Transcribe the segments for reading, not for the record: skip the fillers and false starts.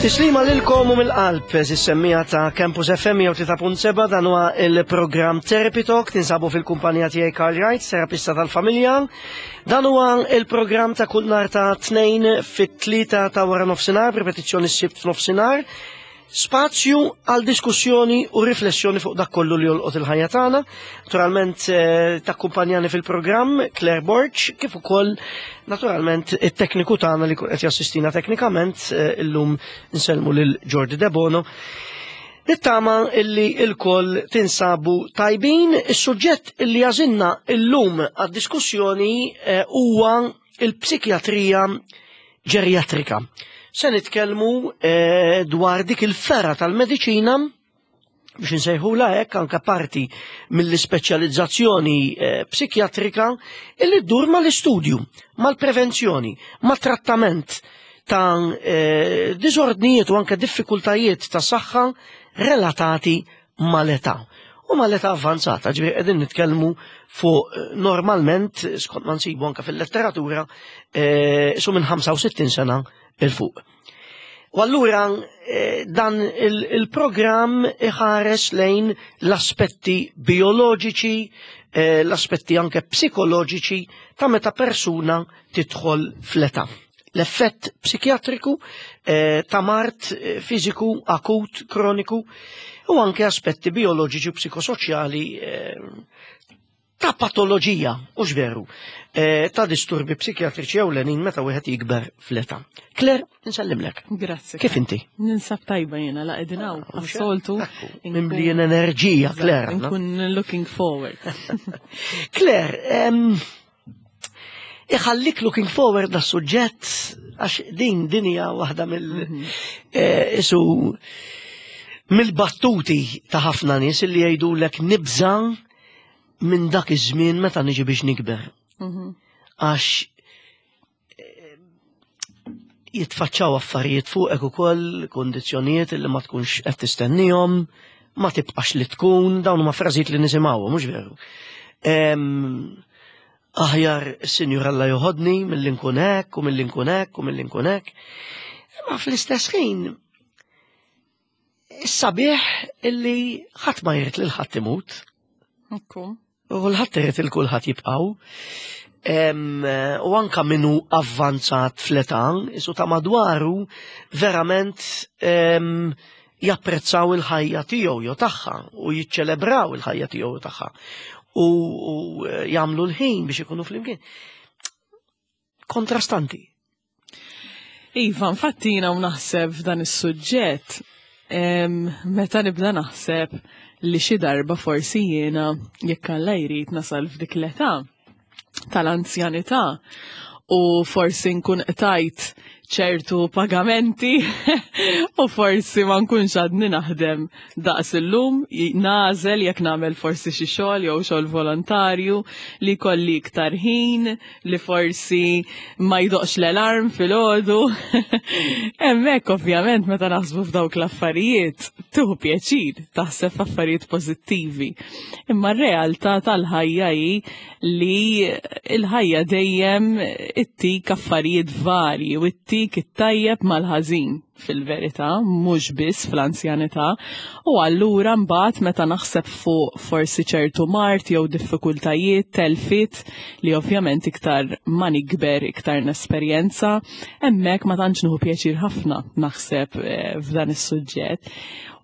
Tislima lilkom u mill-qalb, eżis semmija ta' Campus FM 3.7 dan huwa il-programm Therapy Talk, tinsabu fil-kumpanija tiegħi Karl Wright, terapista tal-familja. Dan huwa il-programm ta' kull nhar ta' tnejn fit-tlieta ta' wara nofsinhar, ripetizzjoni s-sibt f'nofsinhar. Spazju għal diskussjoni u riflessjoni fuq dak kollu li jolqot il-ħajja tagħna. Naturalment eh, takkumpanjani fil-programm Claire Borg, kif ukoll naturalment it-tekniku tagħna li qed jassistina teknikament eh, illum nsellmu lil Jordi Debono. Nittama illi il-koll tinsabu tajbin, is-suġġett illi jażinna illum għad-diskussjoni eh, huwa il-psikjatrija ġerjatrika. Se nitkellmu eh, dwar dik il-ferra tal-mediċina biex nsejħula hekk anke parti mill-ispeċjalizzazzjoni eh, psikjatrika illi ddur mal-istudju, mal-prevenzjoni, mat-trattament ta' eh, diżordnijiet u anke diffikultajiet ta' saħħa relatati mal-età. U mal-età avvanzata, ġifieri qegħdin nitkellmu fuq eh, normalment, skont ma nsibu anke fil-letteratura, eh, su minn 65 sena il fuq. U allura eh, dan il-programm iħares lejn l-aspetti bioloġiċi, l-aspetti anke psikoloġiċi ta' meta persuna tidħol fl-età. L-effett psikjatriku eh, ta' mart eh, fiżiku akut, kroniku u anke aspetti bioloġiċi u psikosoċjali eh, ta' patoloġija, u veru, ta' disturbi psikjatriċi ewlenin meta wieħed jikber fl-età. Claire, nsellimlek. Grazzi. Kif inti? Ninsab tajba jena la qegħdin hawn, ah, soltu Mimlijin enerġija, Claire. Nkun looking forward. Claire, iħallik looking forward da suġġett għax din din hija waħda mill mhm. eh, isu mill-battuti ta' ħafna nies li jgħidulek nibża minn dak iż-żmien meta niġi biex nikber. Mhm. Għax eh, jitfaċċaw affarijiet fuqek ukoll, kondizzjonijiet li ma tkunx qed tistennihom, ma tibqax li tkun, dawn huma frażijiet li nisimgħu, mhux veru. Aħjar is-Sinjur Alla joħodni milli nkun hekk u milli nkun hekk u milli nkun hekk. Imma fl-istess ħin is-sabiħ illi ħadd ma jrid lil ħadd imut. U kulħadd irid il kulħadd jibqgħu. U anka minnu avvanzat fl-età, isu ta' madwaru verament japprezzaw il-ħajja tiegħu jew tagħha u jiċċelebraw il-ħajja tiegħu jew tagħha u eh, jagħmlu l-ħin biex ikunu flimkien. Kontrastanti. Iva, infatti jiena u naħseb f'dan is-suġġett meta nibda naħseb li xi darba forsi jiena jekk Alla jrid nasal f'dik l-età tal-anzjanità u forsi nkun qtajt ċertu pagamenti u forsi ma nkunx għadni naħdem daqs illum, nażel jekk nagħmel forsi xi xogħol jew xogħol volontarju li kolli iktar ħin, li forsi ma jdoqx l-alarm filgħodu. Hemmhekk ovvjament meta naħsbu f'dawk l-affarijiet tieħu pjaċir taħseb f'affarijiet pożittivi. Imma r-realtà tal-ħajja hi li l-ħajja dejjem ittik affarijiet varji u ittik it-tajjeb mal-ħażin fil-verità, mhux biss fl-anzjanità, u allura mbagħad meta naħseb fuq forsi ċertu mard jew diffikultajiet, telfiet li ovvjament iktar ma nikber iktar nesperjenza, hemmhekk ma tantx nieħu pjaċir ħafna naħseb eh, f'dan is-suġġett.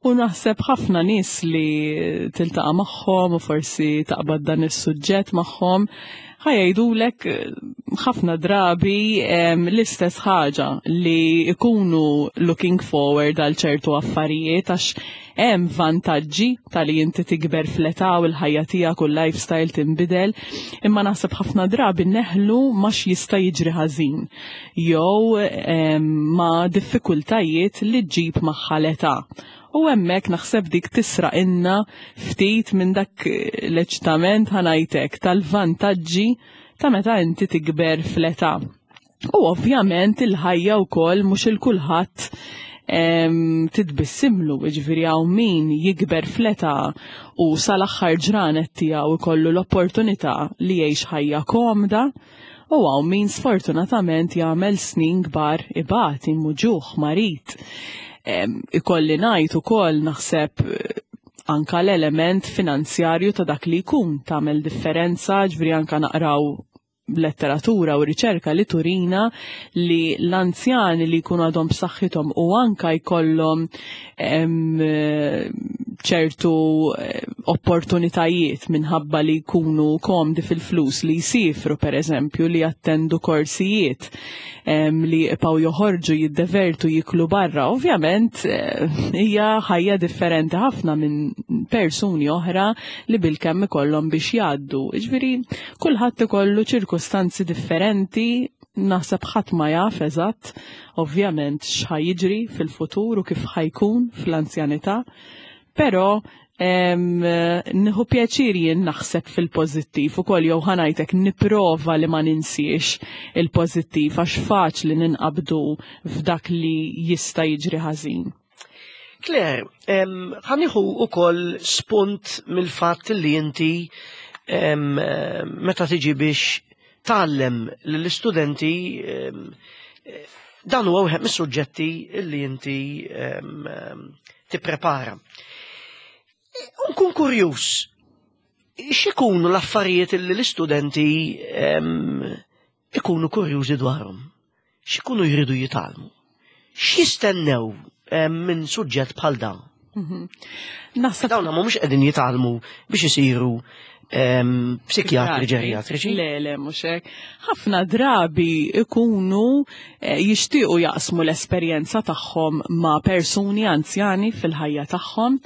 U naħseb ħafna nies li tiltaqa' magħhom u forsi taqbad dan is-suġġett magħhom ħajajdulek eh, ħafna drabi l-istess ħaġa li ikunu looking forward għal ċertu affarijiet għax hemm vantaġġi tal-li inti tikber fl-età u l-ħajja tiegħek u l-lifestyle tinbidel, imma naħseb ħafna drabi neħlu ma x'jista' jiġri ħażin jew ma' diffikultajiet li ġġib magħha l-età. U hemmhekk naħseb dik tisraqilna ftit minn dak l-eċitament ħanajtek tal-vantaġġi ta' meta inti tikber fl-età. U ovvjament il-ħajja wkoll mhux il kulħadd titbissimlu, ġifieri hawn min jikber fl-età u sal-aħħar ġranet tiegħu ikollu l-opportunità li jgħix ħajja komda, u hawn min sfortunatament jagħmel snin kbar ibati, muġugħ, marid. Ikolli ngħid ukoll naħseb eh, anka l-element finanzjarju ta' dak li jkun tagħmel differenza, ġifieri anka naqraw letteratura u riċerka li turina li l-anzjani li jkunu għadhom b'saħħithom u anka jkollhom ċertu eh, opportunitajiet minħabba li jkunu komdi fil-flus li jsifru per eżempju li jattendu korsijiet li jibqgħu joħorġu jiddevertu jiklu barra. Ovvjament eh, hija ħajja differenti ħafna minn persuni oħra li bilkemm ikollhom biex jgħaddu. Jiġifieri kulħadd ikollu ċirkustanzi differenti naħseb ħadd ma jaf eżatt ovvjament x'ħa jiġri fil-futur u kif ħajkun fl-anzjanità, però Nieħu pjaċir jien naħseb fil-pożittiv ukoll jew ħanajtek nipprova li ma ninsiex il-pożittiv għax faċli ninqabdu f'dak li jista' jiġri ħażin. Claire, ħaniħu ukoll spunt mill-fatt li inti meta tiġi biex tgħallem lill-istudenti dan huwa wieħed mis-suġġetti li inti tipprepara. Nkun kurjuż, x'ikunu l-affarijiet li l-istudenti ikunu kurjużi dwarhom? X'ikunu jridu jitgħallmu? X'jistennew minn suġġett bħal dan? Mhm. Naħseb dawn mhumiex qegħdin jitgħallmu biex isiru psikjatri ġerjatriċi. Le, le, mhux hekk. Ħafna drabi ikunu eh, jixtiequ jaqsmu l-esperjenza tagħhom ma' persuni anzjani fil-ħajja tagħhom,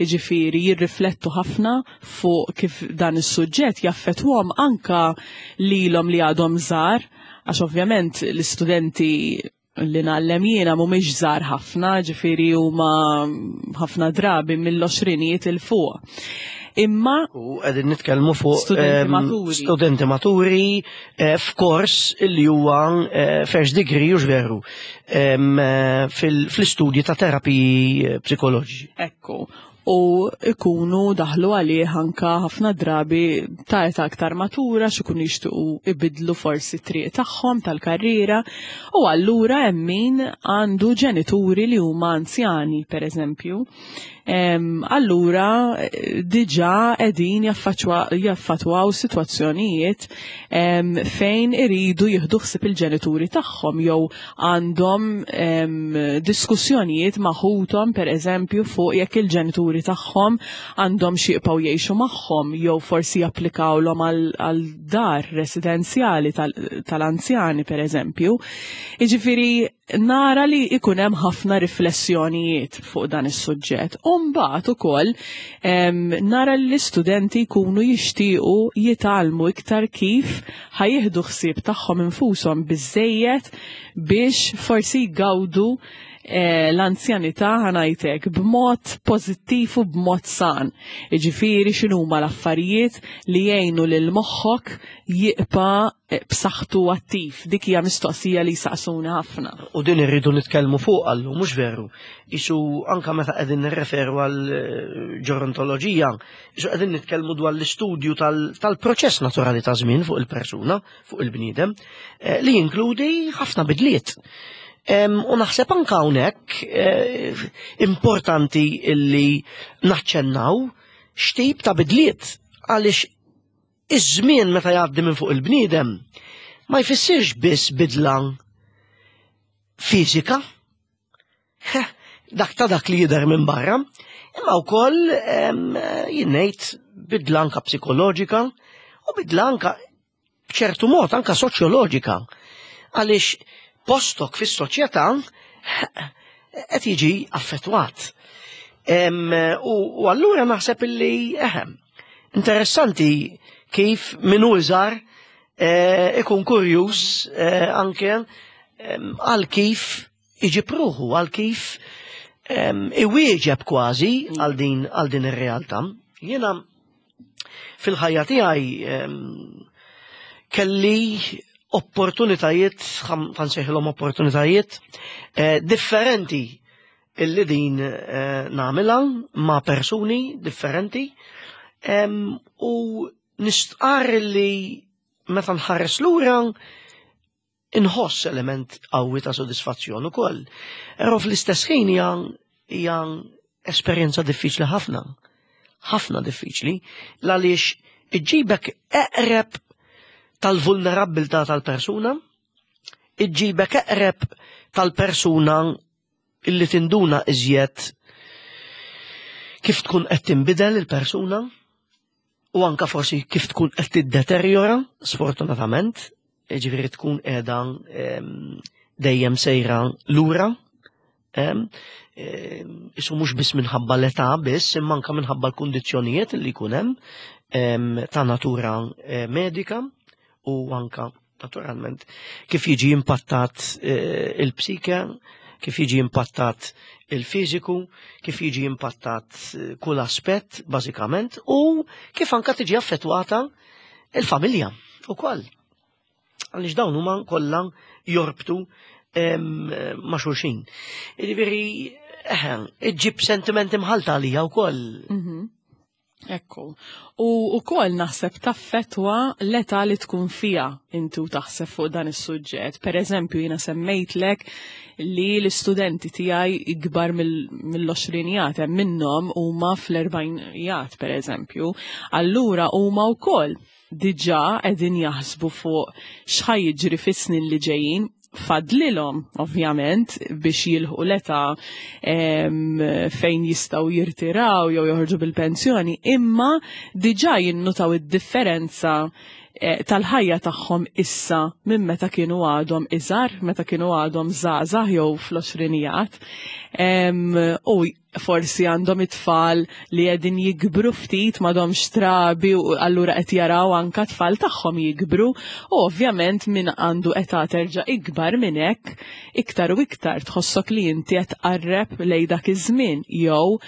jiġifieri jirriflettu ħafna fuq kif dan is-suġġett jaffettwhom anka lilhom li għadhom żgħar, għax ovvjament l-istudenti li ngħallem jiena mhumiex żgħar ħafna, ġifieri huma ħafna drabi mill-għoxrinijiet il fuq. Imma U qegħdin nitkellmu fuq studenti ehm, maturi, studenti maturi eh, f'kors li huwa eh, first degree u veru ehm, eh, fl-istudji ta' terapiji psikoloġiċi. Ekku, u ikunu daħlu għalih anka ħafna drabi ta' età aktar matura x'ikunu jixtiequ ibidlu forsi triq tagħhom tal-karriera u allura hemm min għandu ġenituri li huma anzjani pereżempju. Allura diġà qegħdin jaffatwaw sitwazzjonijiet fejn iridu jieħdu ħsieb il-ġenituri tagħhom jew għandhom diskussjonijiet ma' ħuthom pereżempju fuq jekk il-ġenituri tagħhom għandhom xi jibqgħu jgħixu magħhom jew forsi japplikawlhom għal dar residenzjali tal-anzjani pereżempju. Jiġifieri nara li ikun hemm ħafna riflessjonijiet fuq dan is-suġġett. U mbagħad ukoll nara li l-istudenti jkunu jixtiequ jitgħallmu iktar kif ħa jieħdu ħsieb tagħhom infushom biżżejjed biex forsi jgawdu eh, l-anzjanità ħanajtek b'mod pożittiv u b'mod san. Jiġifieri x'inhuma l-affarijiet li jgħinu lil moħħok jibqa' eh, b'saħħtu attiv. Dik hija mistoqsija li jsaqsuna ħafna. U din irridu nitkellmu fuq għallu, mhux veru. Isu anka meta qegħdin nirreferu għal eh, ġerontoloġija, Isu qegħdin nitkellmu dwar l-istudju tal-proċess naturali ta' żmien fuq il-persuna, fuq il-bniedem, eh, li jinkludi ħafna bidliet. U naħseb anka hawnhekk eh, importanti illi naċċennaw x'tip ta' bidliet għaliex iż-żmien meta jgħaddi minn fuq il-bniedem ma jfissirx biss bidla fiżika, dak ta' dak li jidher minn barra, imma wkoll jien ngħid bidla anka psikoloġika u bidla anka b'ċertu mod anka soċjoloġika. Għaliex postok fis-soċjetà qed jiġi affettwat. U allura naħseb illi eħem, interessanti kif min hu iżgħar eh, ikun kurjuż eh, anke għal kif iġib ruħu għal kif iwieġeb kważi għal din għal din ir-realtà. Jiena fil-ħajja tiegħi kelli opportunitajiet, ħansejħilhom opportunitajiet, eh, differenti illi din eh, nagħmilha ma' persuni differenti u nistqarr li meta nħares lura. Inħoss element qawwi ta' sodisfazzjon ukoll. Però fl-istess ħin hija hija esperjenza diffiċli ħafna. Ħafna diffiċli għaliex iġġibek eqreb tal-vulnerabbiltà tal-persuna, iġġibek eqreb tal-persuna illi tinduna iżjed kif tkun qed tinbidel il-persuna u anka forsi kif tkun qed tiddeterjora, sfortunatament, ġifieri tkun qiegħda dejjem sejra lura. Isu mhux biss minħabba l-età biss, imma anka minħabba l-kundizzjonijiet li jkun hemm ta' natura eh, medika u anka naturalment kif jiġi impattat eh, il-psike, kif jiġi impattat il-fiżiku, kif jiġi impattat eh, kull aspett bażikament u kif anka tiġi affettwata il-familja ukoll. Għaliex dawn huma kollha jorbtu ma' xulxin. Jiġifieri, eħe, iġġib sentimenti mħalta għalija wkoll. Mhm. Ekku. U ukoll naħseb taffetwa l-età li tkun fija intu taħseb fuq dan is-suġġett. Per eżempju, jiena semmejtlek li l-istudenti tiegħi ikbar mill-20 hemm minnhom huma fl-40 per eżempju. Allura huma wkoll diġà qegħdin jaħsbu fuq x'ħa jiġri fis-snin li ġejjin fadlilhom ovvjament biex jilħu l-età fejn jistgħu jirtiraw jew joħorġu bil-pensjoni, imma diġà jinnutaw id-differenza eh, tal-ħajja tagħhom issa minn meta kienu għadhom iżgħar, meta kienu għadhom żgħażagħ jew fl-għoxrinijat. U forsi għandhom it-tfal li qegħdin jikbru ftit m'għadhomx trabi u allura qed jaraw anka tfal tagħhom jikbru u ovvjament min għandu età terġa' ikbar minn hekk iktar u iktar tħossok li inti qed tqarreb lej dak iż-żmien jew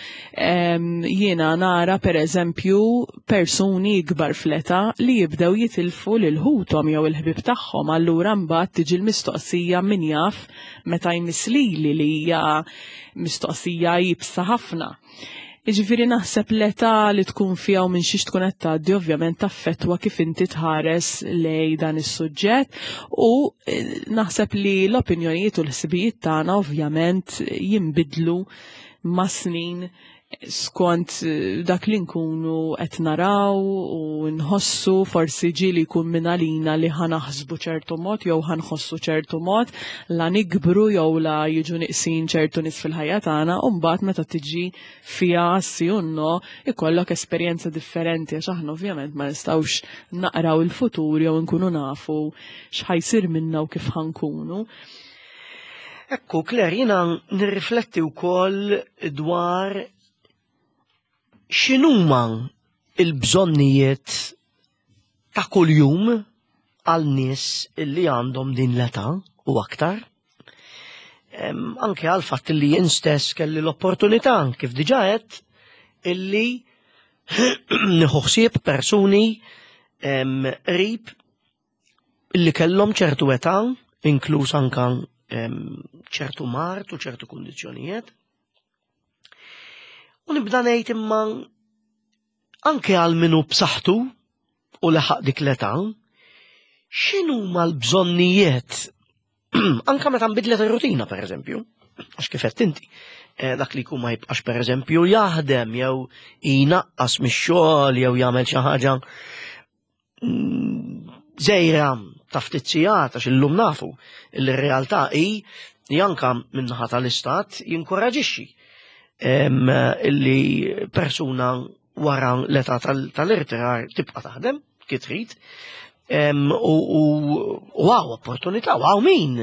jiena nara pereżempju persuni ikbar fl-età li jibdew jitilfu lil ħuthom jew il-ħbieb tagħhom allura mbagħad tiġi l-mistoqsija min jaf meta jmiss lili li hija mistoqsija iebsa ħafna. Jiġifieri naħseb l-età li tkun fiha u minn xiex tkun qed tgħaddi ovvjament taffettwa kif inti tħares lej dan is-suġġett u eh, naħseb li l-opinjonijiet u l-ħsibijiet tagħna ovvjament jinbidlu ma' snin skont eh, dak li nkunu qed naraw u nħossu forsi ġieli jkun minn għalina li ħanaħsbu ċertu mod jew ħanħossu ċertu mod la nikbru jew la jiġu niqsin ċertu nies fil-ħajja tagħna u mbagħad meta tiġi fiha si u no ikollok esperjenza differenti għax aħna ovvjament ma nistgħux naqraw il-futur jew nkunu nafu x'ħajsir minna u kif ħankunu. Ekku, Claire, jina nirrifletti wkoll dwar x'inhuma il-bżonnijiet ta' kuljum għal nies li għandhom din l-età u aktar. Anke għal fatt li jien stess kelli l-opportunità kif diġà għedt illi nieħu ħsieb persuni qrib li kellhom ċertu età, inkluż anka ċertu mart u ċertu kundizzjonijiet. U nibda ngħid imma anke għal minu b'saħħtu u leħaq dik l-età, x'inhuma l-bżonnijiet anka meta nbidlet ir-rutina pereżempju, għax kif qed inti, eh, dak li jkun ma jibqax pereżempju jaħdem jew jnaqqas mix-xogħol jew jagħmel xi ħaġa żejra ta' ftit sigħat għax illum nafu li r-realtà hi li anka min-naħa tal-istat jinkoraġixxi illi persuna wara l-età tal-irtirar tibqa' taħdem kif trid. U għaw opportunità, u għaw min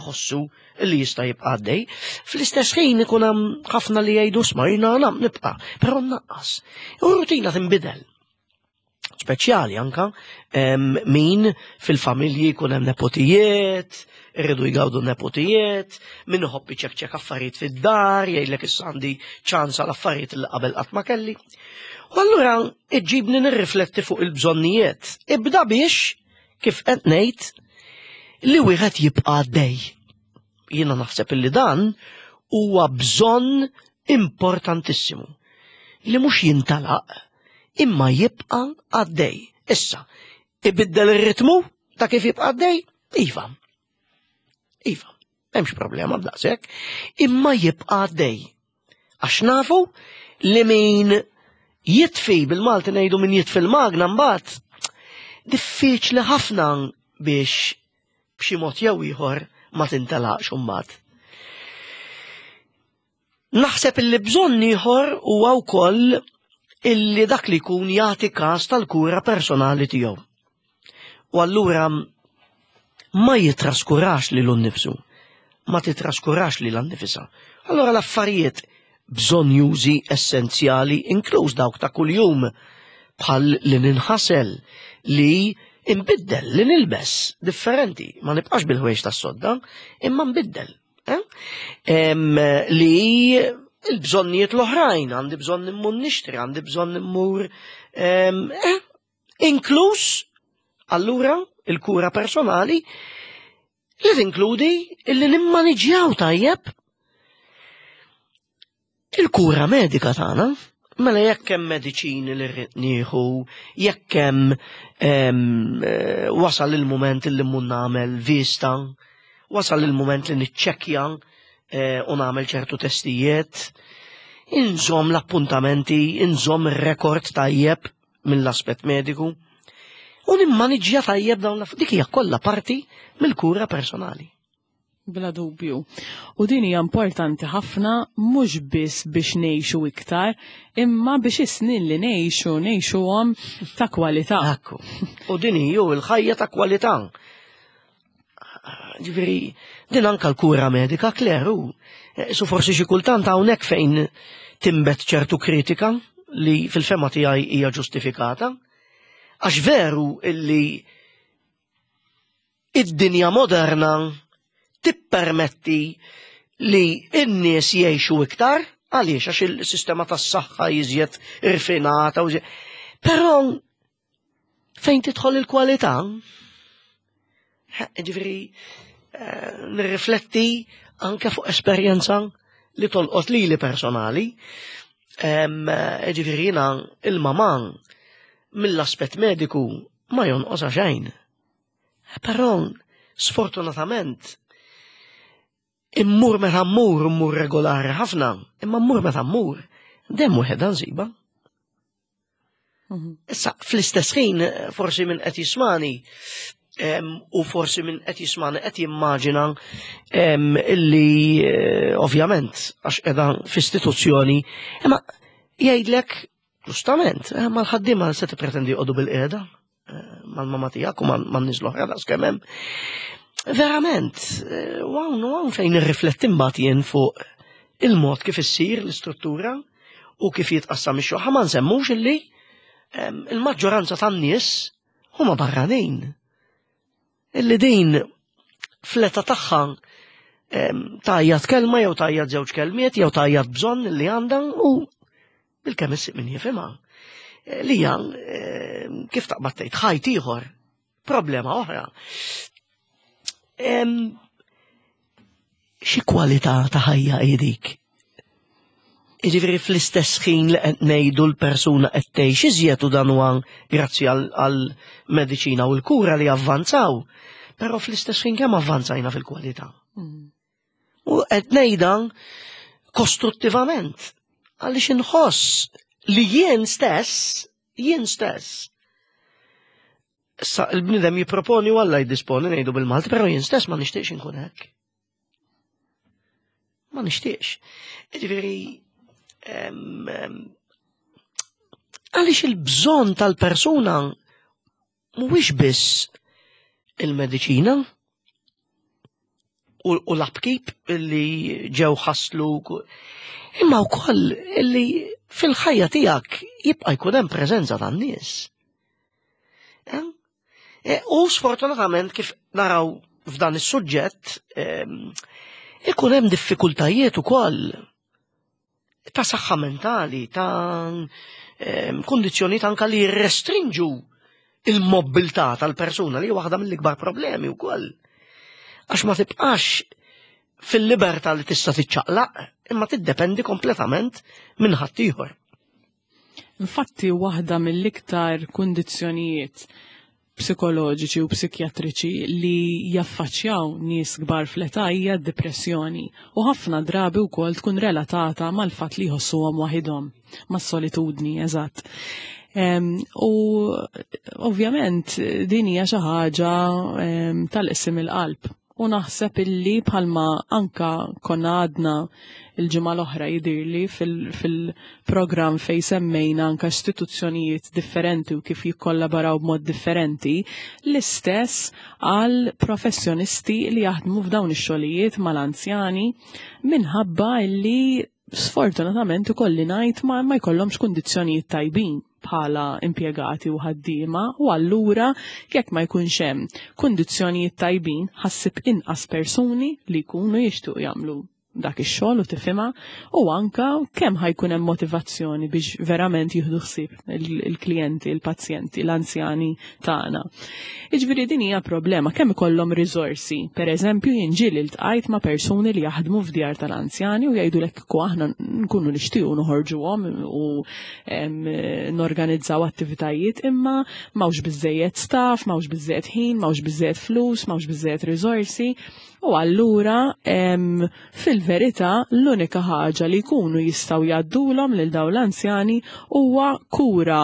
ħossu li jista' jibqa' għaddej. Fl-istess ħin ikun hemm ħafna li jgħidu sma' jiena nibqa', però nnaqqas. U r-rutina tinbidel. Speċjali anka min fil-familji jkun hemm nepotijiet, irridu jgawdu nepotijiet, min iħobb iċekċek affarijiet fid-dar, jgħidlek issa għandi ċans għal affarijiet li qabel qatt ma kelli. U allura iġġibni nirrifletti fuq il-bżonnijiet. Ibda biex kif qed ngħid li wieħed jibqa' għaddej. Jiena naħseb illi dan huwa bżonn importantissimu li mhux jintalaq imma jibqa' għaddej. Issa, ibiddel ir-ritmu ta' kif jibqa' għaddej? Iva. Iva, m'hemmx problema b'daqshekk, imma jibqa' għaddej. Għax nafu li min jitfi bil-Malti ngħidu min jitfi l-magna mbagħad diffiċli ħafna biex b'xi mod jew ieħor ma tintelaqx imbagħad. Naħseb illi bżonn ieħor huwa wkoll illi dak li jkun jagħti każ tal-kura personali tiegħu. U allura ma jitraskurax lilu nnifsu, ma titraskurax lilha nnifisha. Allura l-affarijiet bżonjużi essenzjali inkluż dawk ta' kuljum bħal li ninħasel, li nbiddel, li nilbes differenti, ma nibqax bil-ħwejjeġ tas-sodda, imma nbiddel. Eh? Li il-bżonnijiet l-oħrajn, għandi bżonn immur nixtri, għandi bżonn immur eh, inkluż allura il-kura personali li tinkludi illi nimmaniġjaw tajjeb Il-kura medika tagħna, mela jekk hemm mediċini li rrid nieħu, jekk hemm eh, wasal il-mument li mmur nagħmel vista, wasal il-mument li niċċekkja eh, u nagħmel ċertu testijiet, inżomm l-appuntamenti, inżomm ir-rekord tajjeb mill-aspett mediku u nimmaniġġja tajjeb dawn l dik hija kollha parti mill-kura personali. Bla dubju. U din hija importanti ħafna mhux biss biex ngħixu iktar, imma biex is-snin li ngħixu ngħixuhom ta' kwalità. Ekku. U din hi l-ħajja ta' kwalità. Ġifieri, din anka l-kura medika kleru. Eh, su forsi xi kultant hawnhekk fejn timbet ċertu kritika li fil-fema tiegħi hija ġustifikata. Għax veru illi Id-dinja moderna tippermetti li n-nies jgħixu iktar, għaliex għax il-sistema tas-saħħa iżjed irfinata u Però fejn tidħol il-kwalità, ġifieri eh, nirrifletti anke fuq esperjenza li tolqot lili personali. Eh, ġifieri jiena il-mamà mill-aspett mediku ma jonqosha xejn. Però sfortunatament immur meta mmur, immur regolari ħafna, imma mmur meta mmur, dem wieħed nsiba. Mhm. Issa, fl-istess ħin, forsi minn qed jismani, u forsi minn qed jismani qed jimmaġina illi eh, ovvjament għax qiegħda f'istituzzjoni, imma jgħidlek Ġustament, eh, mal-ħaddiema se tippretendi joqogħdu bil-qiegħda eh, mal-mama tiegħek u man-nies l-oħra daqs kemm hemm. Verament, eh, u hawn u hawn fejn nirrifletti mbagħad jien fuq il-mod kif issir l-istruttura u kif jitqassam ix-xogħol. Ma nsemmux illi ehm, il-maġġoranza tan-nies huma barranin. Illi din fl-età tagħha tajjat kelma jew tajjat żewġ kelmiet jew tajjat bżonn li għandha u bil-kemm issib min jifhimha. Eh, li hija kif taqbad tgħid ħajt ieħor, problema oħra. Xi kwalità ta' ħajja hi dik? Jiġifieri fl-istess ħin li qed ngħidu l-persuna qed tgħix iżjed u dan huwa grazzi għall-mediċina u l-kura li avvanzaw, però fl-istess ħin kemm avvanzajna fil-kwalità. Mm. U qed ngħidha kostruttivament għaliex inħoss li jien stess, jien stess, Issa il-bnidem jipproponi u Alla jiddisponi ngħidu bil-Malti, però jien stess ma nixtieqx inkun hekk. Ma nixtieqx. Ġifieri għaliex il-bżonn tal-persuna mhuwiex biss il-mediċina u l-upkeep li ġew ħaslu imma wkoll li fil-ħajja tiegħek jibqa' jkun hemm preżenza tan-nies. E, u sfortunatament kif naraw f'dan is-suġġett ikun hemm diffikultajiet ukoll ta' saħħa mentali, ta' kundizzjonijiet anka li jirrestrinġu il-mobilità tal-persuna li waħda mill-ikbar problemi wkoll. Għax ma tibqax fil-libertà li tista' tiċċaqlaq, imma tiddependi kompletament minn ħaddieħor. Infatti waħda mill-iktar kundizzjonijiet psikoloġiċi u psikjatriċi li jaffaċċjaw nies kbar fl-età hija d-dipressjoni u ħafna drabi wkoll tkun relatata mal-fatt li jħossuhom waħidhom, mas-solitudni, eżatt. U ovvjament din hija xi ħaġa tal-qsim il-qalb. U naħseb illi bħalma anka konna għadna il-ġimgħa l-oħra jidirli fil-programm fej semmejna anka istituzzjonijiet differenti u kif jikkollaboraw b'mod differenti, l-istess għal professjonisti li jaħdmu f'dawn ix-xogħlijiet mal-anzjani minħabba illi sfortunatament ikolli ngħid ma, ma jkollhomx kundizzjonijiet tajbin bħala impjegati u ħaddiema u allura jekk ma jkunx hemm kundizzjonijiet tajbin ħassib inqas persuni li jkunu jixtiequ jagħmlu dak ix-xogħol u tifhimha u anka kemm ħajkun hemm motivazzjoni biex verament jieħdu ħsieb il-klijenti, il-pazjenti, l-anzjani tagħna. Jiġifieri din hija problema kemm ikollhom riżorsi. Pereżempju jien ġieli ltqajt ma' persuni li jaħdmu f'djar tal-anzjani u jgħidulek kieku aħna nkunu nixtiequ noħorġuhom u norganizzaw attivitajiet imma m'hawnx biżejjed staff, m'hawnx biżejjed ħin, m'hawnx biżejjed flus, m'hawnx biżejjed riżorsi. U allura fil-verità l-unika ħaġa li jkunu jistgħu jgħaddulhom lil dawn l-anzjani huwa kura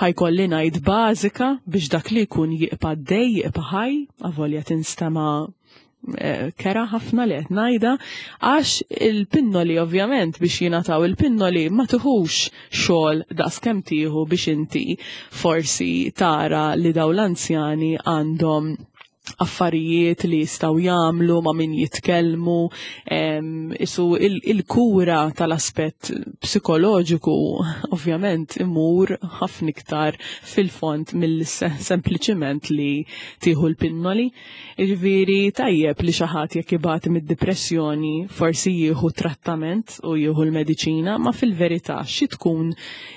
ħajkolli ngħid bażika biex dak li jkun jibqa' dej, jibqa' ħaj, avolja tinstema' eh, kera ħafna li qed ngħidha, għax il-pinnoli ovvjament biex jingħataw il-pinnoli ma tuħux xogħol daqs kemm tieħu biex inti forsi tara li dawn l-anzjani għandhom affarijiet li jistaw jagħmlu ma' min jitkellmu, isu il-kura il tal-aspett psikoloġiku ovvjament imur ħafna iktar fil-fond mill-sempliċiment li tieħu l-pinnoli. Jiġifieri tajjeb li xi ħadd jekk ibati mid-dipressjoni forsi jieħu trattament u jieħu l-mediċina, ma fil-verità xi tkun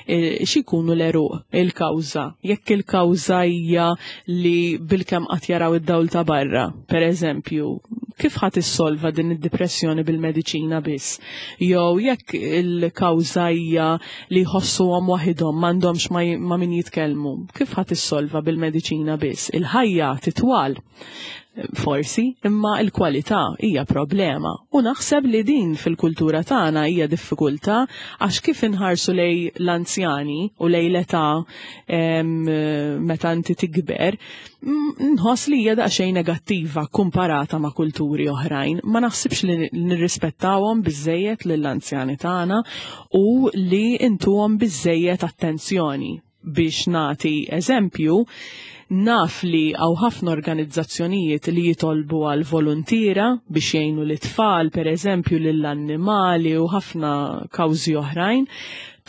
e, xi jkunu l-għeruq il-kawża. Jekk il-kawża hija li bilkemm qatt jaraw id-dawl ta' barra, per eżempju, kif ħadd issolva din id-dipressjoni bil-mediċina biss? Jew jekk il-kawża hija li jħossuhom waħidhom m'għandhomx ma' min jitkellmu, kif ħadd issolva bil-mediċina biss? Il-ħajja titwal forsi, imma l-kwalità hija problema. U naħseb li din fil-kultura tagħna hija diffikultà għax kif inħarsu lej l-anzjani u lej l-età meta inti tikber, nħoss li hija daqsxejn negattiva kumparata ma' kulturi oħrajn. Ma naħsibx li nirrispettawhom biżejjed lill-anzjani tagħna u li intuhom biżejjed attenzjoni. Biex nagħti eżempju, naf li hawn ħafna organizzazzjonijiet li jitolbu għal voluntiera biex jgħinu lit-tfal, pereżempju, lill-annimali u ħafna kawżi oħrajn,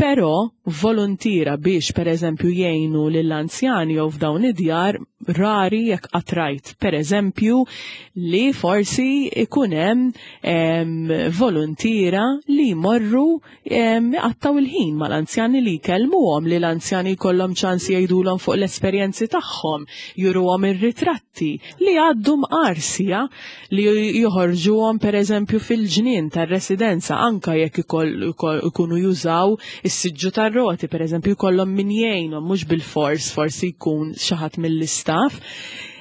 però voluntiera biex pereżempju jgħinu lill-anzjani jew f'dawn id-djar rari jekk qatt rajt. Pereżempju li forsi ikun hemm voluntiera li jmorru iqattgħu il-ħin mal-anzjani li jkellmuhom, li l-anzjani jkollhom ċans jgħidulhom fuq l-esperjenzi tagħhom, juruhom ir-ritratti li għaddu mqar sija li joħorġuhom pereżempju fil-ġnien tar-residenza anka jekk ikunu jużaw is-siġġu tar-roti pereżempju jkollhom min jgħinhom mhux bilfors forsi jkun xi ħadd mill-istaff.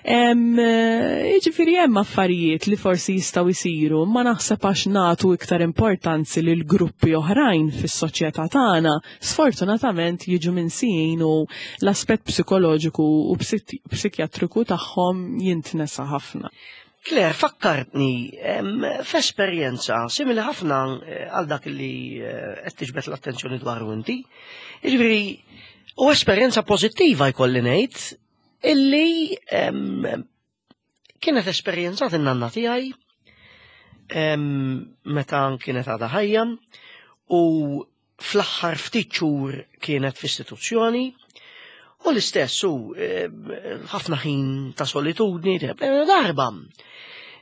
Jiġifieri hemm affarijiet li forsi jistgħu jsiru, ma naħseb għax nagħtu iktar importanzi lil gruppi oħrajn fis-soċjetà tagħna, sfortunatament jiġu minsijin u l-aspett psikoloġiku u psikjatriku tagħhom jintnesa ħafna. Claire, fakkartni f'esperjenza simili ħafna eh, għal dak li eh, qed tiġbed l-attenzjoni dwaru inti. Jiġifieri, u esperjenza pożittiva jkolli ngħid illi kienet esperjenzat in-nanna tiegħi meta kienet għadha ħajja u fl-aħħar ftit xhur kienet f'istituzzjoni u l-istess u ħafna ħin ta' solitudni darba.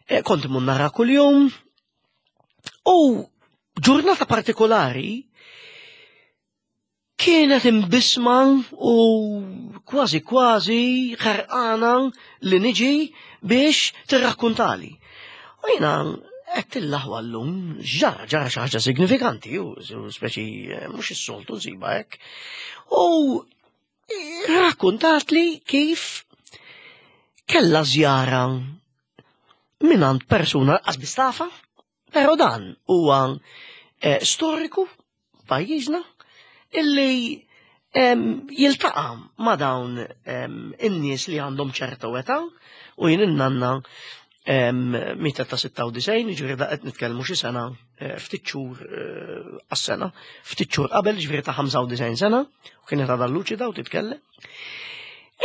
Eh, kont imur nara kuljum u ġurnata partikolari Kienet imbissma u kważi kważi ħerqana li niġi biex tirrakkuntali. U jiena qed il-laħwa llum ġara ġara xi ħaġa signifikanti u speċi eh, mhux is-soltu nsiba hekk. U rakkuntatli kif Kellha żjara mingħand persuna lanqas biss tafha, però dan huwa eh, storiku pajjiżna illi jiltaqa' ma' dawn in-nies li għandhom ċerta età u jien in-nanna mita ta' 96, ġifieri da qed nitkellmu xi sena eh, ftit xhur eh, għas-sena, ftit xhur qabel ġifieri ta' 95 sena, u kienet għadha luċida u titkellem,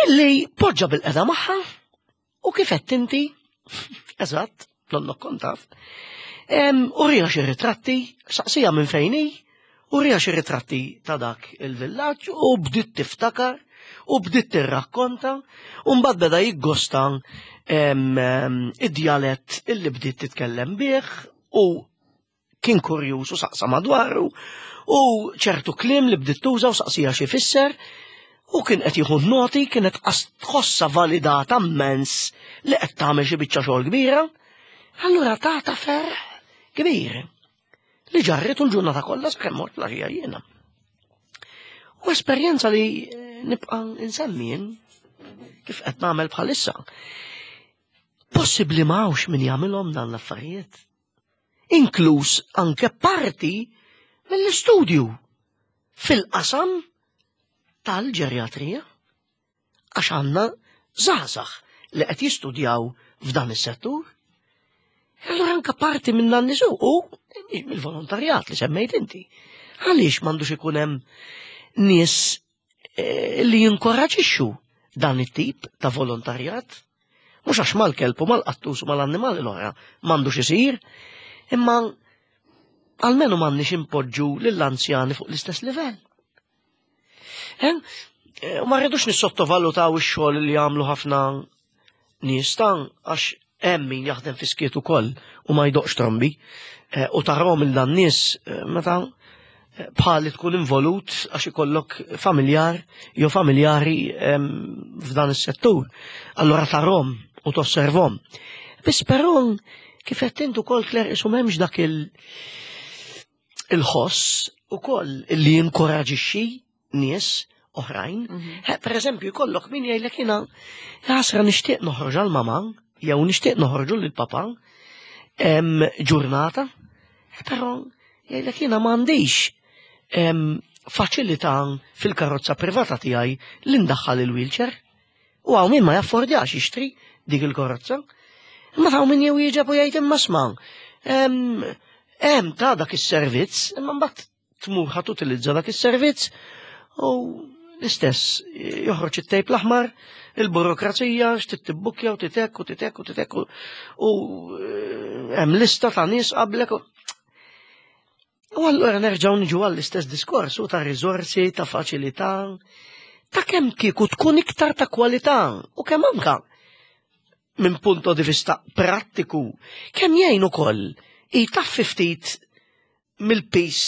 illi poġġa bil-qeda magħha U kif qed inti, eżatt, nonnok kont taf, urija xi ritratti, saqsija minn fejn hi, urija xi ritratti ta' dak il-villaġġ u bdiet tiftakar u bdiet tirrakkonta u mbagħad beda jiggosta id-djalett illi bdiet titkellem bih u kien kurjuż u saqsa madwaru u ċertu kliem li bdiet tuża u saqsija xi fisser u kien qed jieħu noti kienet tħossha validata mmens li qed tagħmel xi biċċa xogħol kbira. Allura tata ferħ kbir li ġarritu l-ġurnata kollha sakemm mort l jiena. U esperjenza li nibqa' insemmi jien kif qed nagħmel bħalissa. Possibbli ma hawnx min jagħmilhom dan l-affarijiet. Inkluż anke parti mill-istudju fil-qasam tal-ġerjatrija għax għandna żgħażagħ li qed jistudjaw f'dan is-settur. Allura anke parti minn dan nisu u mill-volontarjat li semmejt inti. Għaliex m'għandux ikun hemm nies eh, li jinkoraġixxu dan it-tip ta' volontarjat? Mhux għax mal-kelb u mal-qattus u mal-annimali l-oħra m'għandux isir, imma almenu m'għandniex impoġġu lill-anzjani fuq l-istess livell. Eh? Eh, u ma rridux nissottovalutaw ix-xogħol li jagħmlu ħafna nies ta' għax hemm min jaħdem fi skiet ukoll u ma jdoqx trombi eh, u tarahom il dan nies meta bħali tkun involut għax ikollok familjar jew familjari f'dan is-settur. Allura tarhom u tosservhom. Biss però kif qed int ukoll Claire isu m'hemmx dak il il-ħoss ukoll li jinkoraġixxi nies oħrajn. Mhm. Per eżempju, jkollok min jgħidlek jiena ħasra nixtieq noħroġ għal mama jew nixtieq noħorġu lil papa ġurnata, però jgħidlek jiena m'għandix faċilità fil-karozza privata tiegħi li ndaħħal il-wheelchair. U hawn min ma jaffordjax jixtri dik il-karozza. Imma ta' min jew jieġeb u jgħid imma sma' hemm ta' dak is-servizz, imma mbagħad tmur ħa tutilizza dak is-servizz u l-istess joħroġ it-tejp l-aħmar, il-burokrazija, x'trid tibbukkja u titek u titek u titek u eh, hemm lista ta' nies qablek. U allura nerġgħu niġu għall-istess diskors u ta' riżorsi, ta' faċilità, ta' kemm kieku tkun iktar ta' kwalità u kemm anka minn punto di vista prattiku, kemm jgħin ukoll jtaffi ftit mill-piż,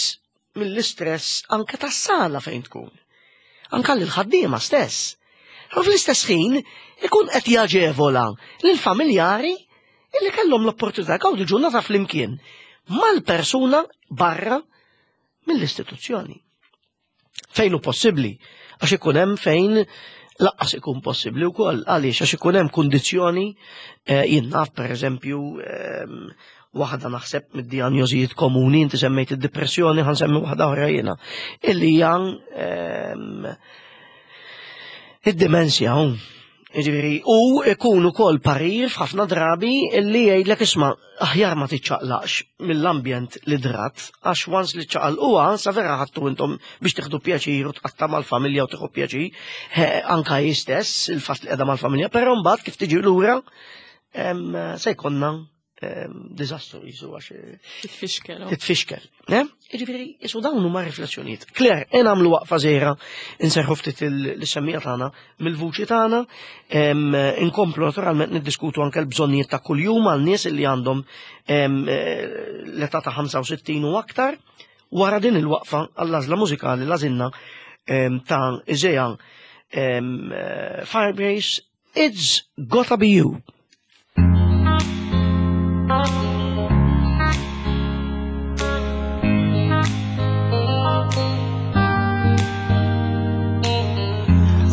mill-istress anke tas-sala fejn tkun. Anke lill-ħaddiema stess. U fl-istess ħin ikun qed jaġevola lill-familjari illi kellhom l-opportunità jgawdu ġurnata flimkien mal-persuna barra mill-istituzzjoni. Fejn hu possibbli, għax ikun hemm fejn laqqas ikun possibbli wkoll għaliex għax ikun hemm kundizzjoni eh, jien naf pereżempju ehm, waħda naħseb mid-dijanjożijiet komuni inti semmejt id-depressjoni ħan semmi waħda oħra jiena illi hija ehm, id-dimensja Jiġifieri, u ikun ukoll parir f'ħafna drabi li jgħidlek isma' aħjar ma tiċċaqlaqx mill-ambjent li drat, għax once li ċċaqalquha sa vera ħadtu intom biex tieħdu pjaċir u tqatta' mal-familja u tieħu pjaċir, anka hi stess il-fatt li qiegħda mal-familja, però mbagħad kif tiġi lura se jkollna diżastru jisu għax. Eh, titfixkel. Oh. Titfixkel. Jiġifieri, jisu dawn huma riflessjonijiet. Claire, e nagħmlu waqfa żgħira inserħu ftit l-semmija tagħna mill-vuċi tagħna, inkomplu naturalment niddiskutu anke l-bżonnijiet ta' kuljum għal nies li għandhom eh, l-età ta' 65 u aktar. Wara din il-waqfa għall-għażla mużikali l-għażilna ta' Iżeja eh, Firebrace It's Gotta Be You.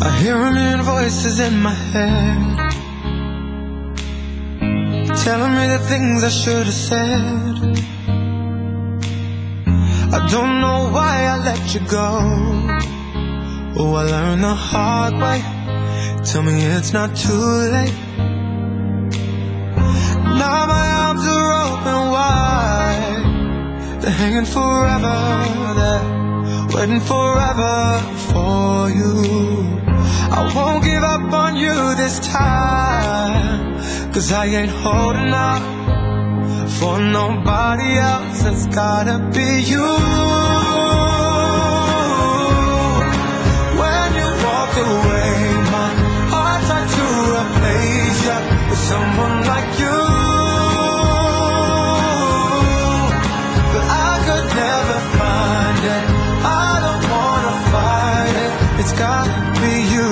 I hear a million voices in my head. Telling me the things I should have said. I don't know why I let you go. Oh, I learned the hard way. Tell me it's not too late. Now my arms are open wide. They're hanging forever. They're waiting forever for you. I won't give up on you this time. Cause I ain't holding out for nobody else. It's gotta be you. When you walk away, my heart tried to replace you with someone like you. But I could never find it. I don't wanna fight it. It's gotta be you.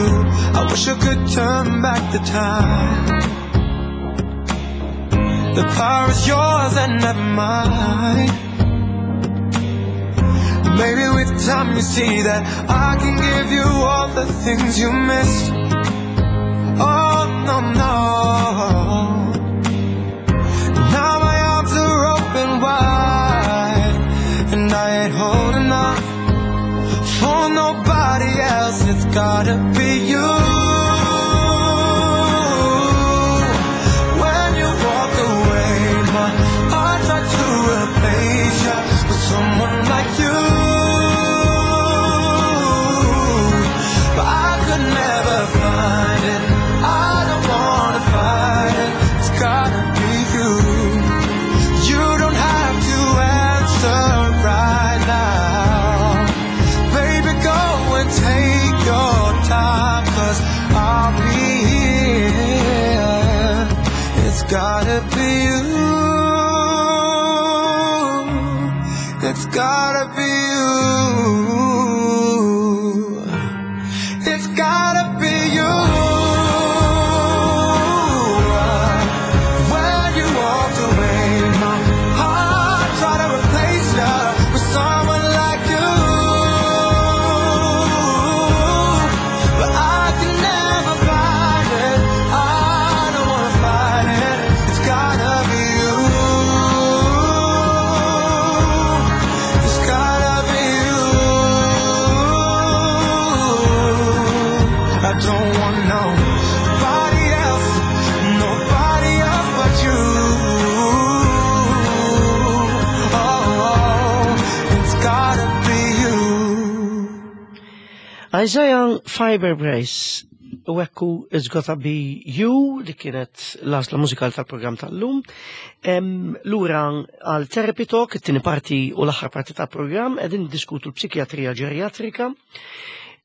I wish I could turn back the time. The power is yours and never mine. Maybe with time you see that I can give you all the things you missed. Oh, no, no. Now my arms are open wide, and I ain't holding out for nobody else. It's gotta be you. When you walk away, my heart tried to replace you with someone like you. But I could never find it. I don't wanna fight it. It's gotta be you. You don't have to answer right now. Baby, go and take your time, 'cause I'll be here. It's gotta be you. It's gotta be you. It's gotta be you. When you walked away, my heart tried to replace you with someone like you. But I can never find it. I don't wanna fight it. It's gotta be you. It's gotta be you. I don't want nobody else, nobody else but you. Oh, it's gotta be you. Isaiah Fiber Brace, u ekku It's Gotta Be You, li kienet l-għażla mużikal tal-programm tal-lum. Lura għal Therapy Talk, it-tieni parti u l-aħħar parti tal-programm, qegħdin diskutu l-psikjatrija ġerjatrika.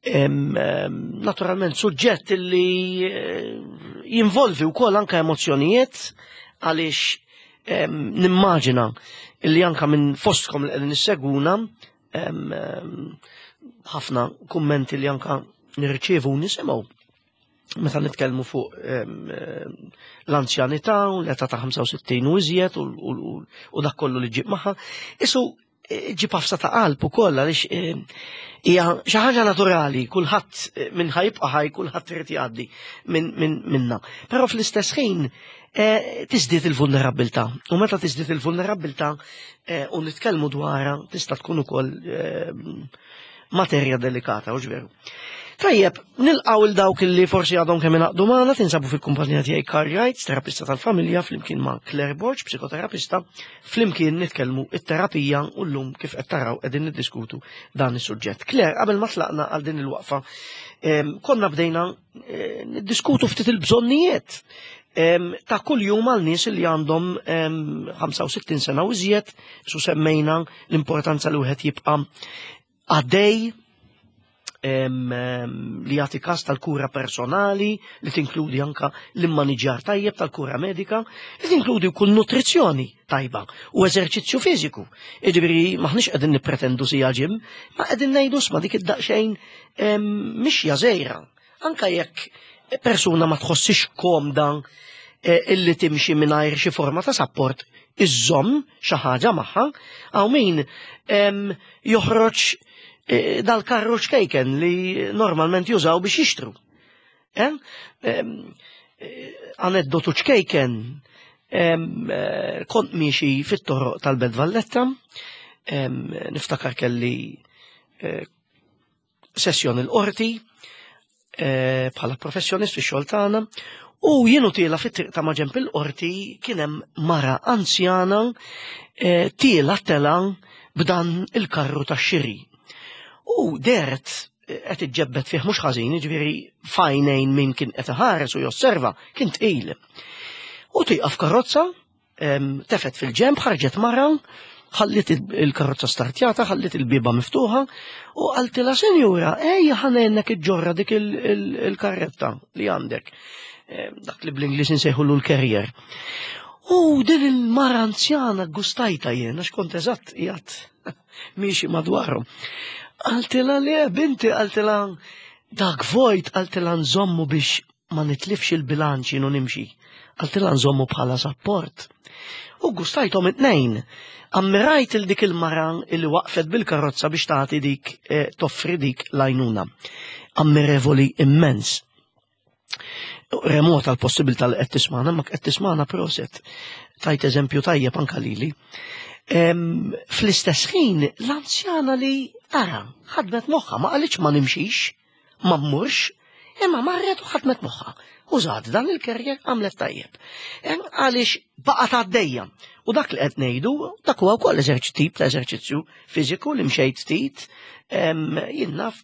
Naturalment, suġġett li jinvolvi wkoll anka emozzjonijiet, għaliex nimmaġina li anka minn fostkom li qegħdin issegwuna, ħafna kummenti li anka nirċievu u nisimgħu meta nitkellmu fuq l-anzjanità u l-età ta' 65 u iżjed u dak kollu li ġib magħha. Isu ġib ħafsa ta' qalb ukoll għaliex hija xi ħaġa naturali, kulħadd minn ħajbqa' ħaj, kulħadd irid jgħaddi minna. Però fl-istess ħin tiżdied il-vulnerabilità. U meta tiżdied il-vulnerabilità u nitkellmu dwarha tista' tkun ukoll materja delikata, u veru. Tajjeb, nilqaw il dawk li forsi għadhom kemm ingħaqdu magħna, tinsabu fil-kumpanija tiegħi Karl Wright, terapista tal-familja, flimkien ma' Claire Borg, psikoterapista, flimkien nitkellmu it-terapija u llum kif qed taraw qegħdin niddiskutu dan is-suġġett. Claire, qabel ma tlaqna għal din il-waqfa, konna bdejna niddiskutu ftit il-bżonnijiet ta' kull jum għal nies li għandhom 65 sena u iżjed, su semmejna l-importanza li wieħed jibqa' għaddej, li jagħti kas tal-kura personali, li tinkludi anka l-immaniġjar tajjeb tal-kura medika, li tinkludi wkoll nutrizzjoni tajba u eżerċizzju fiżiku. Jiġifieri maħniex qegħdin nippretendu sija gym, ma qegħdin ngħidu sma dik id-daqsxejn mixja żgħira. Anka jekk persuna ma tħossix komda illi timxi mingħajr xi forma ta' support, iżżomm xi ħaġa magħha, hawn min joħroġ dal-karru ċkejken li normalment jużaw biex jixtru. Aneddotu ċkejken, Kont miexi fit-toroq tal-Belt Valletta, niftakar kelli sessjoni l-qorti bħala professjonist fix-xogħol tagħna u jienu tiela fit-triq ta' maġenb il-qorti kien hemm mara anzjana tiela tela b'dan il-karru tax-xiri. U dehret qed iġġebbed fih mhux ħażin, jiġifieri f'għajnejn min kien qed iħares u josserva kien tqil. U tieqaf karozza, tefet fil-ġemb, ħarġet mara, ħallit il-karozza startjata, ħallit il-biba miftuħa u qaltilha senjura, ejja ħanennek iġġorra dik il-karretta li għandek. Dak li bl-Ingliż insejħulu l-carrier. U din il-mara anzjana gustajta jien, għax kont eżatt qiegħed miexi madwarhom. Qaltilha le binti, qaltilha dak vojt, qaltilha nżommu biex ma nitlifx il-bilanċ jien u nimxi. Qaltilha nżommu bħala sapport. U gustajthom it-tnejn. Ammirajt il dik il-mara li waqfet bil-karozza biex tagħti dik eh, toffri dik l-għajnuna. Ammirevoli immens. Remota l-possibilità li qed tismana, ma qed tismana proset. Tajt eżempju tajjeb anka lili. Fl-istess ħin, l-anzjana li ara, ħadmet moħħa, ma qalitx ma nimxix, ma mmurx, imma marret u ħadmet moħħa. Użat dan il-kerjer għamlet tajjeb. Għaliex baqgħet għaddejja. U dak li qed ngħidu, dak huwa wkoll tip ta' eżerċizzju fiżiku li mxejt ftit, jien naf.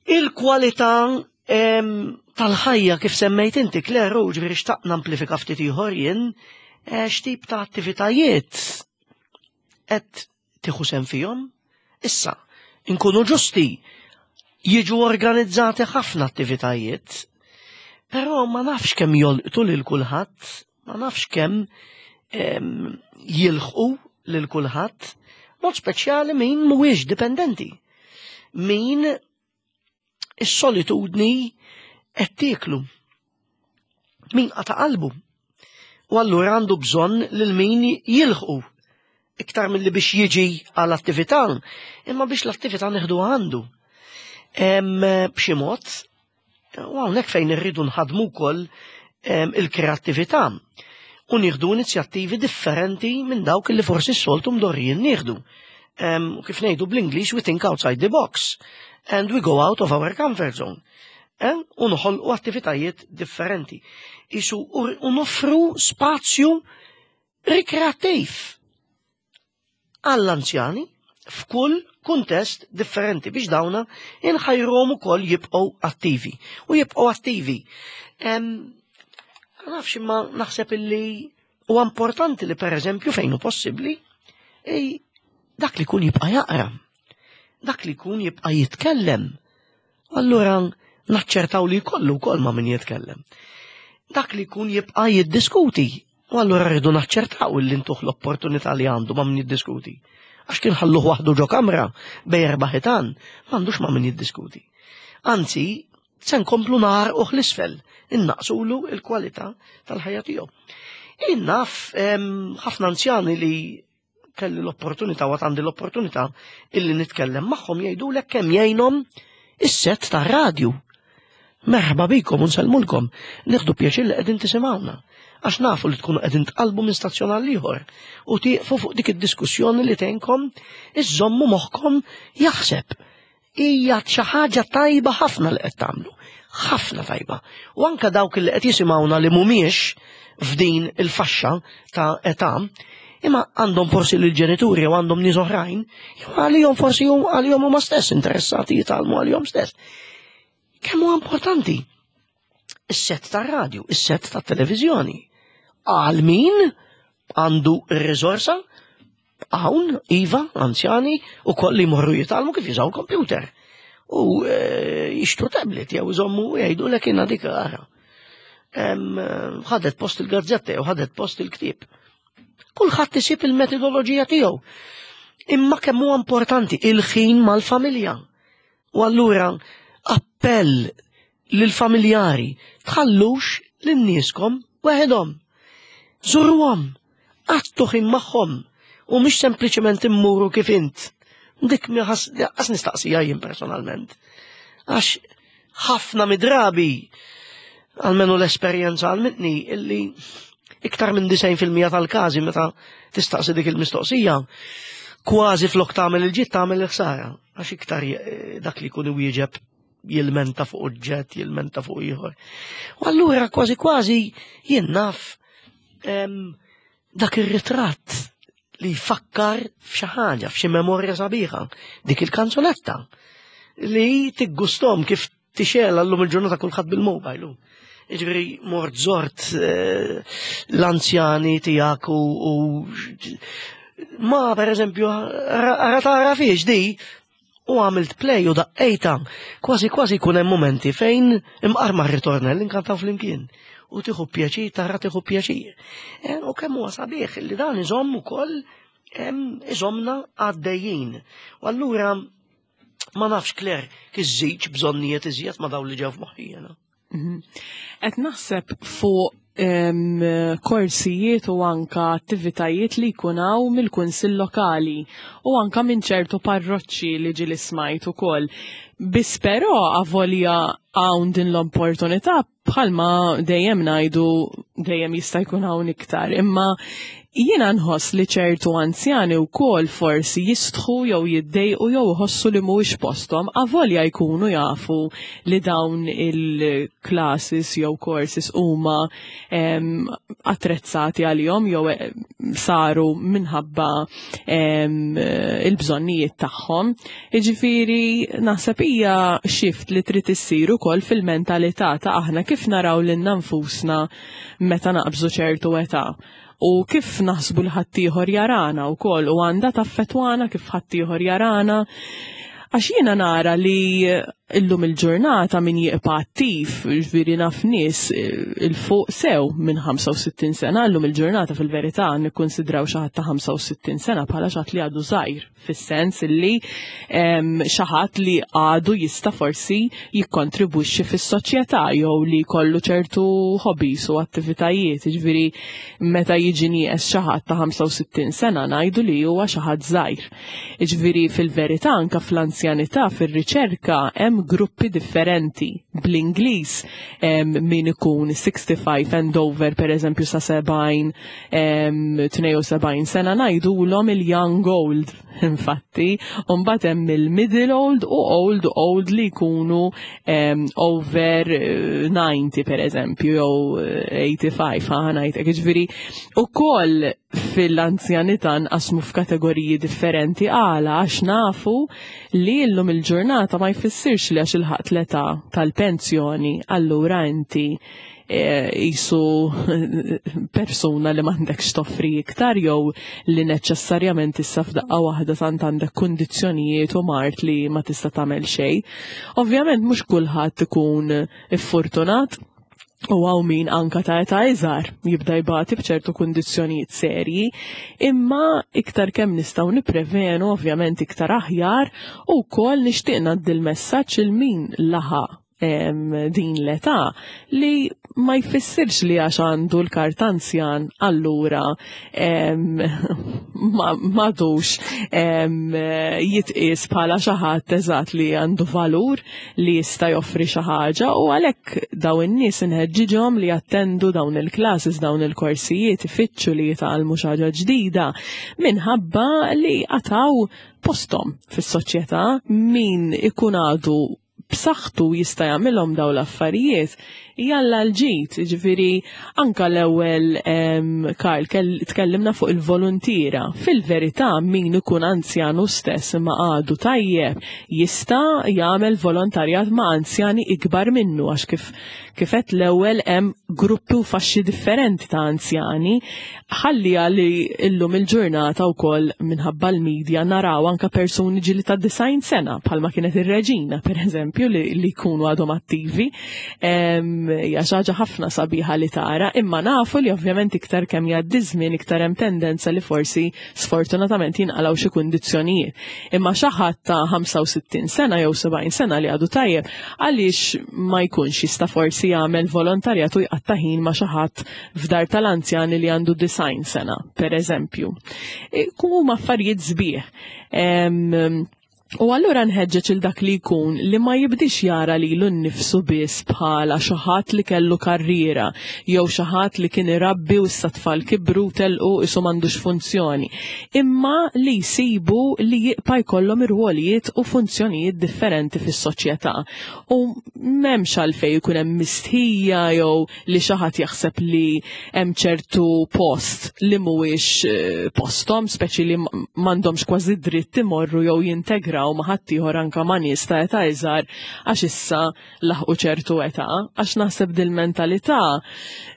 Il-kwalità tal-ħajja kif semmejt inti, Claire, u ġifieri xtaqt namplifika ftit ieħor jien, eh, x'tip ta' attivitajiet qed tieħu sehem fihom? Issa, inkunu ġusti, jiġu organizzati ħafna attivitajiet, però ma nafx kemm jolqtu lil kulħadd, ma nafx kemm jilħqu lil kulħadd, mod speċjali min mhuwiex dipendenti. Min is-solitudni qed tieklu. Min qata' qalbu. U allura għandu bżonn lil min jilħqu iktar milli biex jiġi għal attività, imma biex l-attività neħdu għandu. B'xi mod, u hawnhekk fejn irridu nħadmu wkoll il-kreattività u nieħdu inizjattivi differenti minn dawk li forsi s-soltu mdorrijin nieħdu. Kif ngħidu bl-Ingliż, we think outside the box and we go out of our comfort zone. U noħolqu attivitajiet differenti. Isu u noffru spazju rikreattiv għall-anzjani f'kull kuntest differenti biex dawna inħajruhom ukoll jibqgħu attivi. U jibqgħu attivi. Ma nafx imma naħseb illi huwa importanti li pereżempju fejn hu possibbli dak li jkun jibqa' jaqra, dak li jkun jibqa' jitkellem. Allura naċċertaw li jkollu wkoll ma' min jitkellem. Dak li jkun jibqa' jiddiskuti. U allura rridu naċċertaw li ntuh l-opportunità li għandu ma' min jiddiskuti. Għax kien ħalluh waħdu ġo kamra bej erba' ħitan, m'għandux ma' min jiddiskuti. Anzi, se nkomplu naħarquh l-isfel, innaqsulu l-kwalità tal-ħajja tiegħu. Jien naf ħafna anzjani li kelli l-opportunità u għandi l-opportunità illi nitkellem magħhom jgħidulek kemm jgħinhom is-set tar-radju. Merħba bikom u nsellmulkom. Nieħdu pjaċir li qegħdin tisimgħuna. Għax nafu li tkunu qegħdin tqalbu minn stazzjon għal ieħor u tieqfu fuq dik id-diskussjoni li tgħinkom iżommu moħħkom jaħseb. Hija xi ħaġa tajba ħafna li qed tagħmlu. Ħafna tajba. U anke dawk li qed jisimgħuna li mhumiex f'din il-faxxa ta' età, imma għandhom forsi lill-ġenituri jew għandhom nies oħrajn, jew għalihom forsi għalihom huma stess interessati jitgħallmu għalihom stess. Kemm huwa importanti is-set tar-radju, is-set tat-televiżjoni. Għal min għandu r-riżorsa hawn, iva, anzjani, u kolli jmorru jitgħallmu kif jużaw computer. U eh, jixtru tablet jew iżommu jgħidu lek jiena dik ara. Ħadet post il-gazzetta jew ħadet post il-ktieb. Kulħadd isib il-metodoloġija tiegħu. Imma kemm huwa importanti il-ħin mal-familja. U allura appell lill-familjari, tħallux lil nieskom weħidhom. Żuruhom, qattu ħin magħhom u mhux sempliċement immuru kif int. Dik qas nistaqsija jien personalment. Għax ħafna midrabi, għalmenu l-esperjenza għalmitni, illi Iktar minn 90% tal-każi meta tistaqsi dik il-mistoqsija, kważi flok tagħmel il-ġid tagħmel il-ħsara, għax iktar eh, dak li jkun iwieġeb jilmenta fuq oġġett, jilmenta fuq ieħor. U allura kważi kważi jien naf dak ir-ritratt li jfakkar f'xi ħaġa, f'xi memorja sabiħa, dik il-kanzunetta li tiggustom kif tixela llum il-ġurnata kulħadd bil-mobile. Jiġifieri mort zort eh, l-anzjani tiegħek u ma per eżempju ara tara fiex di u għamilt play u daqqejta kważi kważi jkun hemm momenti fejn imqar ma' ritornell inkantaw flimkien u tieħu pjaċir tara tieħu pjaċir. Eh, u kemm huwa sabiħ li dan iżomm ukoll iżommna għaddejjin. U allura ma nafx Claire kif żidx bżonnijiet iżjed ma dawn li ġew f'moħħi jiena. Mhm. Qed naħseb fuq korsijiet u anka attivitajiet li jkun hawn mill-kunsill lokali u anka minn ċertu parroċċi li ġieli smajt ukoll. Biss però avolja hawn din l-opportunità bħalma dejjem ngħidu dejjem jista' jkun hawn iktar, imma jiena nħoss li ċertu anzjani wkoll forsi jistħu jew jiddejqu jew iħossu li mhuwiex posthom avolja jkunu jafu li dawn il-classes jew courses huma attrezzati għalihom jew eh, saru minħabba il-bżonnijiet tagħhom. Jiġifieri naħseb hija shift li trid issir ukoll fil-mentalità ta' aħna kif naraw lilna nfusna meta naqbżu ċertu età u kif naħsbu li ħaddieħor jarana wkoll u għandha taffettwana kif ħaddieħor jarana. Għax jiena nara li illum il-ġurnata min jibqa' attiv, ġifieri naf nies eh, il-fuq sew minn 65 sena, illum il-ġurnata fil-verità nikkonsidraw xi ħadd ta' 65 sena bħala xi ħadd li għadu żgħir fis-sens illi xi ħadd li għadu jista' forsi jikkontribwixxi fis-soċjetà jew li jkollu ċertu hobbies u attivitajiet. Jiġifieri meta jiġi nieqes xi ħadd ta' 65 sena ngħidu li huwa xi ħadd żgħir. Jiġifieri fil-verità anke fl-anzjanità fir-riċerka hemm gruppi differenti. Bl-Ingliż min ikun 65 and over pereżempju sa 70 72 sena ngħidulhom il-young old infatti, u mbagħad hemm il-middle old u old old li jkunu over 90 eh, per eżempju jew 85 eh, ħa ngħidlek jiġifieri ukoll fil-anzjanità nqasmu f'kategoriji differenti għala għax nafu li llum il-ġurnata ma jfissirx li għax ilħaqt l-età tal-pensjoni allura inti jisu persuna li m'għandekx toffri iktar jew li neċessarjament issa f'daqqa waħda tant għandek kundizzjonijiet u mard li ma tista' tagħmel xejn. Ovvjament mhux kulħadd ikun iffortunat u għaw min anka ta' età iżgħar jibda jbati b'ċertu kundizzjonijiet serji, imma iktar kemm nistgħu nipprevenu ovvjament iktar aħjar u wkoll nixtieq ngħaddi l-messaġġ il min laħaq din l-età li ma jfissirx li għax għandu l-kart anzjan allura m'għadux jitqies bħala xi ħadd eżatt li għandu valur li jista' joffri xi ħaġa u għalhekk dawn in-nies inħeġġiġhom li jattendu dawn il-classes, dawn il-korsijiet, ifittxu li jitgħallmu xi ħaġa ġdida minħabba li għataw posthom fis-soċjetà min ikun għadu b'saħħtu jista' jagħmilhom dawn l-affarijiet, jalla l-ġid, jiġifieri anka l-ewwel Karl tkellimna fuq il-voluntiera. Fil-verità min ikun anzjanu stess imma għadu tajjeb jista' jagħmel volontarjat ma' anzjani ikbar minnu għax kif kif għedt l-ewwel hemm gruppi u faxxi differenti ta' anzjani. Ħalliha li illum il-ġurnata wkoll minħabba l-media naraw anka persuni ġili ta' 90 sena bħalma kienet ir-reġina pereżempju li, li jkunu għadhom attivi. Hija xi ħaġa ħafna sabiħa li tara, imma nafu li ovvjament iktar kemm jgħaddi żmien iktar hemm tendenza li forsi sfortunatament jinqalgħu xi kundizzjonijiet. Imma xi ħadd ta' 65 sena jew 70 sena li għadu tajjeb, għaliex ma jkunx jista' forsi jagħmel volontarjat u jqatta' ħin ma' xi ħadd f'dar tal-anzjani li għandu 90 sena, per eżempju. Huma affarijiet sbieħ. U allura nħeġġeġ il dak li jkun li ma jibdix jara lilu nnifsu biss bħala xi ħadd li kellu karriera jew xi ħadd li kien irabbi u issa tfal kibru telqu isu m'għandux funzjoni, imma li jsibu li jibqa' jkollhom irwolijiet u funzjonijiet differenti fis-soċjetà. U m'hemmx għalfejn ikun hemm mistħija jew li xi ħadd jaħseb li hemm ċertu post li mhuwiex eh, posthom, speċi li m'għandhomx kważi dritt imorru jew jintegraw ma' ħaddieħor anke ma' nies ta' età iżgħar għax issa laħqu ċertu età, għax naħseb dil-mentalità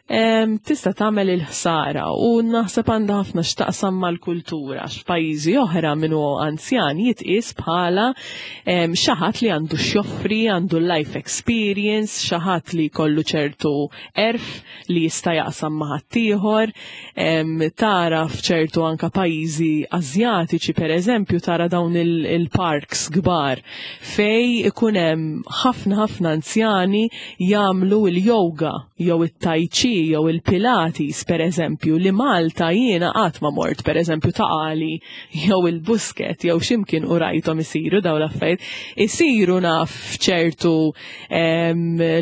tista' tagħmel il-ħsara u naħseb għandha ħafna x'taqsam mal-kultura għax f'pajjiżi oħra min hu anzjan jitqies bħala xi ħadd li għandu x'joffri, għandu life experience, xi ħadd li jkollu ċertu għerf li jista' jaqsam ma' ħaddieħor. Tara f'ċertu anka pajjiżi Asjatiċi pereżempju tara dawn il-parks kbar fej ikun hemm ħafna ħafna anzjani jagħmlu l-yoga jew it-tai chi jew il-pilates pereżempju li Malta jiena qatt ma mort pereżempju Ta' Qali jew il-Busket jew x'imkien u rajthom isiru dawn l-affarijiet. Isiru naf f'ċertu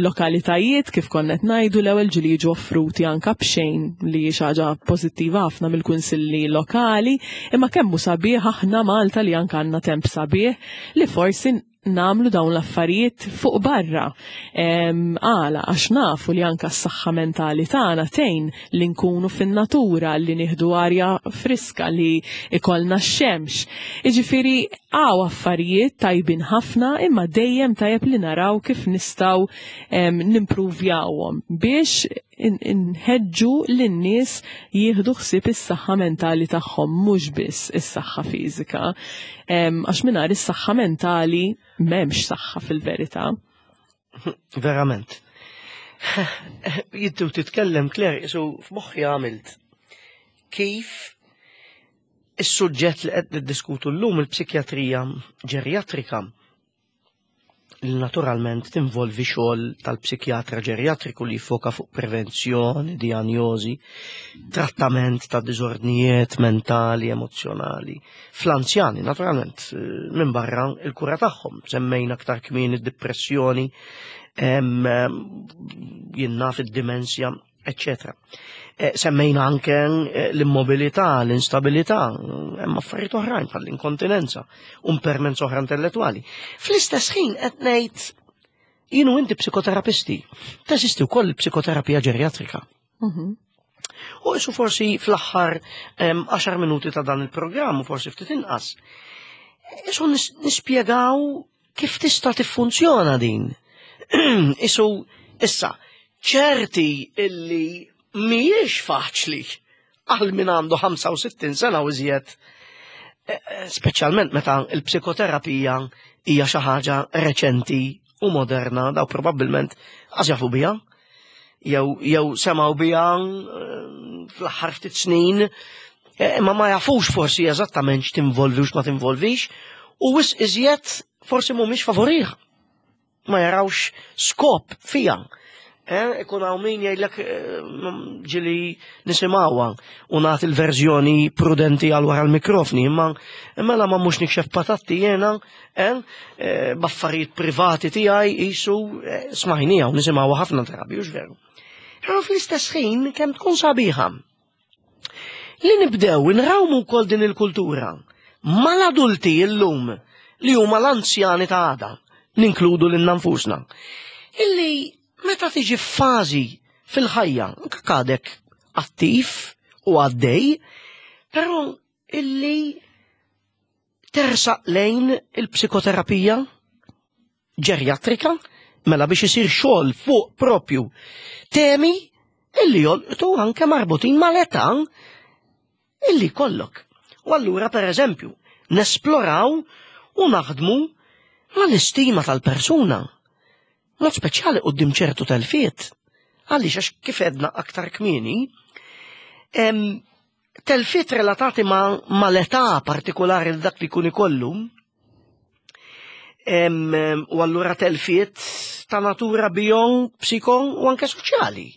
lokalitajiet kif konna qed ngħidu l-ewwel ġieli jiġu offruti anka b'xejn li hi xi ħaġa pożittiva ħafna mill-kunsilli lokali, imma kemm hu sabiħ aħna Malta li anka għandna temp sabiħ li forsi nagħmlu dawn l-affarijiet fuq barra. Għala, għax nafu li anka s-saħħa mentali tagħna tgħin li nkunu fin-natura, li nieħdu arja friska, li ikollna x-xemx. Jiġifieri hawn affarijiet tajbin ħafna imma dejjem tajjeb li naraw kif nistgħu nimpruvjawhom biex inħeġġu lin-nies jieħdu ħsieb is-saħħa mentali tagħhom mhux biss is-saħħa fiżika. Għax mingħajr is-saħħa mentali m'hemmx saħħa fil-verità. Verament. Jittu titkellem Claire, isu f'moħħi għamilt kif is-suġġett li qed niddiskutu llum il-psikjatrija ġerjatrika li naturalment tinvolvi xogħol tal-psikjatra ġerjatriku li jfoka fuq prevenzjoni, dijanjosi, trattament ta' diżordnijiet mentali, emozzjonali. Fl-anzjani, naturalment, eh, minn barra il-kura tagħhom, semmejna aktar kmin id-depressjoni, jinnaf id-dimensja, eccetera. Eh, semmejna anke eh, l-immobilità, l-instabilità, hemm affarijiet oħrajn bħall-inkontinenza, u impermenza oħra intellettwali. Fl-istess ħin qed ngħid jien u inti psikoterapisti, teżisti wkoll il-psikoterapija ġerjatrika. Mhm. U isu forsi fl-aħħar 10 minuti ta' dan il-programm, u forsi ftit inqas, isu nispjegaw Kif tista' tiffunzjona din? Isu, issa, ċerti illi mhijiex faċli għal min għandu 65 sena u iżjed, eh, eh, speċjalment meta l-psikoterapija hija xi ħaġa reċenti u moderna, daw probabbilment għax jafu biha, jew jew semgħu biha eh, fl-aħħar ftit snin, eh, imma ma jafux forsi eżattament x'tinvolvi u x'ma tinvolvix, u wisq iżjed forsi mhumiex favorih. Ma jarawx skop fija. Eh, ikun hawn min jgħidlek ġili nisimgħuha u nagħti l-verżjoni prudenti għal wara l-mikrofni, imma mela ma mhux nikxef patatti jiena Eh, eh, b'affarijiet privati tiegħi qisu eh, smajnija u nisimgħu ħafna drabi, hux veru. Però fl-istess ħin kemm tkun sabiħa. Li nibdew nrawmu wkoll din il-kultura mal-adulti illum li huma l-anzjani ta' għada, ninkludu lil nfusna. Illi meta tiġi f'fażi fil-ħajja, anke għadek attiv u għaddej, però illi tersaq lejn il-psikoterapija ġerjatrika, mela biex isir xogħol fuq propju temi illi jolqtu anke marbutin mal-età illi kollok. U allura per eżempju, nesploraw u naħdmu mal-istima tal-persuna. Mod speċjali quddiem ċertu telfiet. Għaliex għax kif edna aktar kmieni, telfiet relatati ma, mal-età partikolari li dak li jkun ikollu, u allura telfiet ta' natura bio, psiko u anke soċjali.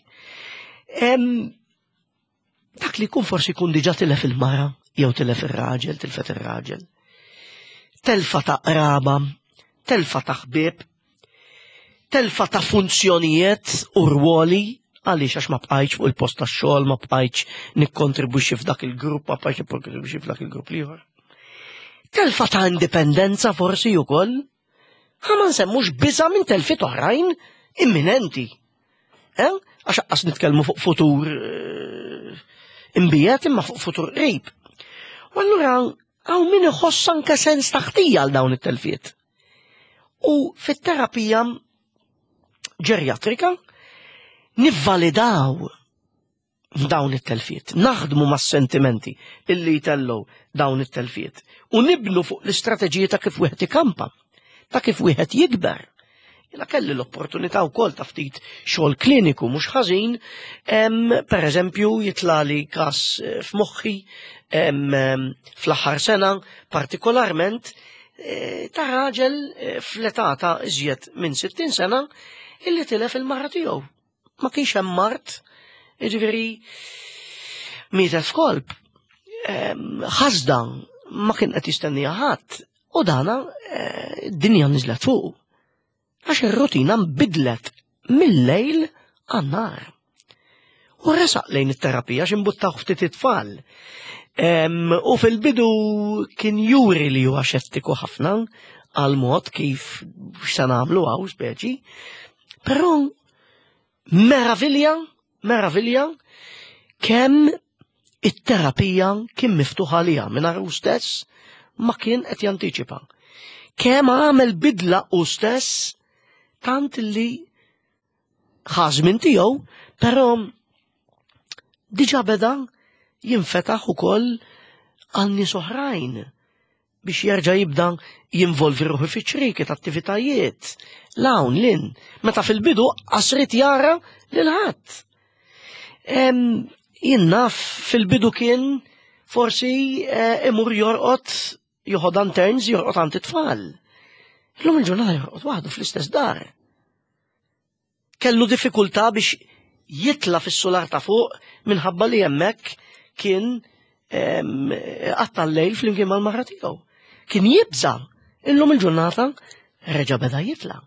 Dak li jkun forsi jkun diġà tilef il-mara, jew tilef ir-raġel, tilfet ir-raġel. Telfa ta' qraba, telfa ta' ħbieb, telfa ta' funzjonijiet u rwoli għaliex għax ma bqajtx fuq il-post tax-xogħol, ma bqajtx nikkontribwixxi f'dak il-grupp, ma bqajtx nikkontribwixxi f'dak il-grupp l-ieħor. Telfa ta' indipendenza forsi wkoll. Ħa ma nsemmux biża' minn telfiet oħrajn imminenti. Eh? Għax aqqas nitkellmu fuq futur eh, imbiet imma fuq futur qrib. U allura hawn min iħoss anke sens ta' ħtija għal dawn it-telfiet. U fit-terapija ġerjatrika nivvalidaw dawn it-telfiet, naħdmu mas-sentimenti illi jtellgħu dawn it-telfiet u nibnu fuq l-istrateġiji ta' kif wieħed ikampa, ta' kif wieħed jikber. Jena kelli l-opportunità wkoll ta' ftit xogħol kliniku mhux ħażin, per eżempju jitlali każ eh, f'moħħi fl-aħħar sena partikolarment eh, ta' raġel eh, fl-età ta' iżjed minn 60 sena illi tilef il-mara tiegħu. Ma kienx hemm mart, jiġifieri mietet f'kolb. Ħasda ma kien qed jistennija ħadd u dana eh, dinja niżlet fuq. Għax ir-rutina nbidlet mill-lejl għan-nar. U resaq lejn it-terapija x'imbuttaw ftit it-tfal. U fil-bidu kien juri li huwa xettiku ħafna għal mod kif x'se nagħmlu hawn speċi. Però meravilja, meravilja kemm it-terapija kien miftuħ għaliha mingħajr hu stess ma kien qed jantiċipa. Kemm għamel bidla hu stess tant li ħa żmien tiegħu, però diġà beda jinfetaħ ukoll għal nies oħrajn biex jerġa' jibda jinvolvi ruħu fi ċrieki ta' attivitajiet. L-hawn, lin, meta fil-bidu qasrit jara lil ħadd. Jien naf fil-bidu kien forsi eh, imur jorqod joħod turns jorqod għand it-tfal. Illum il-ġurnata jorqod waħdu fl-istess dar. Kellu diffikultà biex jitla fis-sular ta' fuq minħabba li hemmhekk kien qatta l-lejl flimkien mal-mara tiegħu. Kien jibża' illum il-ġurnata reġa' beda jitla.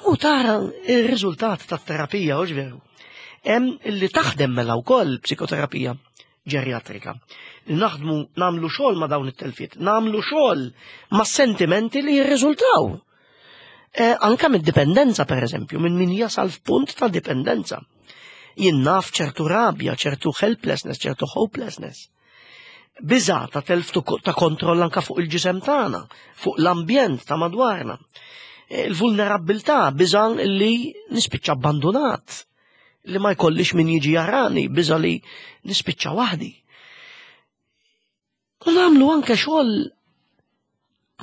U tara ir-riżultat tat-terapija, u veru. Hemm li taħdem mela wkoll psikoterapija ġerjatrika. Naħdmu nagħmlu xogħol ma' dawn it-telfiet, nagħmlu xogħol ma' sentimenti li jirriżultaw. Eh, anka mid-dipendenza per eżempju, minn min jasal f'punt ta' dipendenza. Jien naf ċertu rabja, ċertu helplessness, ċertu hopelessness. Biża ta' telf ta' kontroll anka fuq il-ġisem tagħna, fuq l-ambjent ta' madwarna. Eh, il-vulnerabilità, biża li nispiċċa abbandonat, li ma jkollix min jiġi jarani, biża li nispiċċa waħdi. U nagħmlu anke xogħol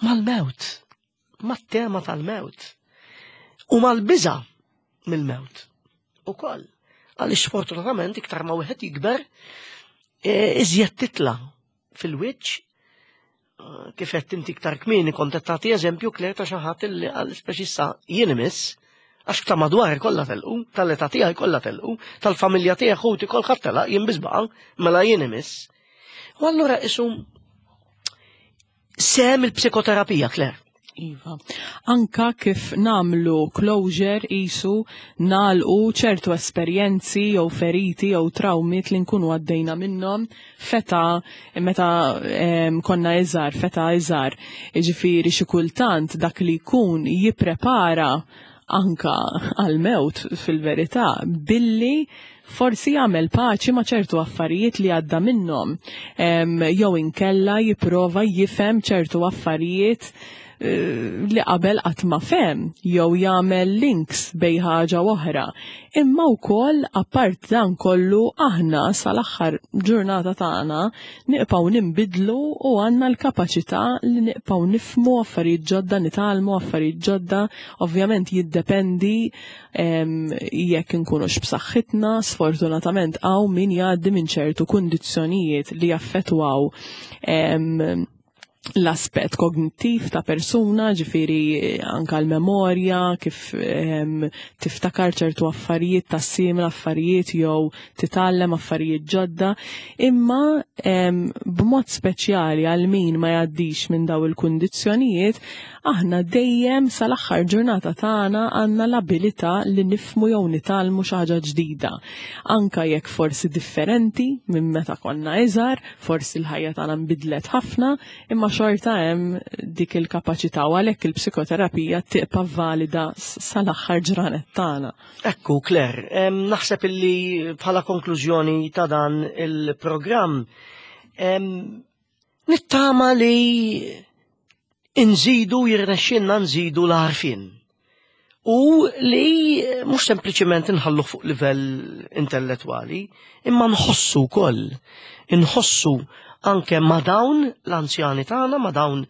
mal-mewt, mat-tema tal-mewt u mal-biża mill-mewt ukoll. Għaliex sfortunatament iktar ma wieħed jikber, e, iżjed titla fil-wiċċ e, kif qed inti iktar kmieni kont qed tagħti eżempju kler ta' xi ħadd li għal speċi issa jien imiss għax ta' madwar kollha telqu, tal-età tiegħi kollha telqu, tal-familja tiegħi ħuti kolħadd telaq jien biss baqa' mela jien imiss. U allura isu sem il-psikoterapija, Claire. Iva. Anka kif namlu closure isu nalqu ċertu esperjenzi jew feriti jew trawmiet li nkunu għaddejna minnhom feta meta konna iżgħar, feta iżgħar. Jiġifieri xi kultant dak li jkun jipprepara anka għal-mewt fil-verità billi forsi jagħmel paċi ma' ċertu affarijiet li għadda minnhom jew inkella jipprova jifhem ċertu affarijiet eh, li qabel qatt ma fehem jew jagħmel links bejn ħaġa oħra. Imma wkoll apart dan kollu aħna sal-aħħar ġurnata tagħna nibqgħu ninbidlu u għandna l-kapaċità li nibqgħu nifhmu affarijiet ġodda, nitgħallmu affarijiet ġodda, ovvjament jiddependi jekk inkunux b'saħħitna, sfortunatament hawn min jgħaddi minn ċertu kundizzjonijiet li jaffettwaw. L-aspett kognittiv ta' persuna, ġifiri anka l-memorja, kif tiftakar ċertu affarijiet, tassimil affarijiet jew titgħallem affarijiet ġodda, imma b'mod speċjali għal min ma jgħaddix minn daw il-kundizzjonijiet, aħna dejjem sal-aħħar ġurnata tagħna għandna l-abilità li nifmu jew nitgħallmu xi ħaġa ġdida. Anka jekk forsi differenti minn meta konna iżgħar, forsi l-ħajja tagħna nbidlet ħafna, imma xorta hemm dik il-kapaċità u għalhekk il-psikoterapija tibqa' valida sal-aħħar ġranet tagħna. Ekku, Claire, naħseb illi bħala konklużjoni ta' dan il-programm nittama li nżidu jirnexxinna nżidu l-għarfien u li mhux sempliċement inħallu fuq livell intellettwali, imma nħossu wkoll, inħossu anke ma' dawn l-anzjani tagħna, ma' dawn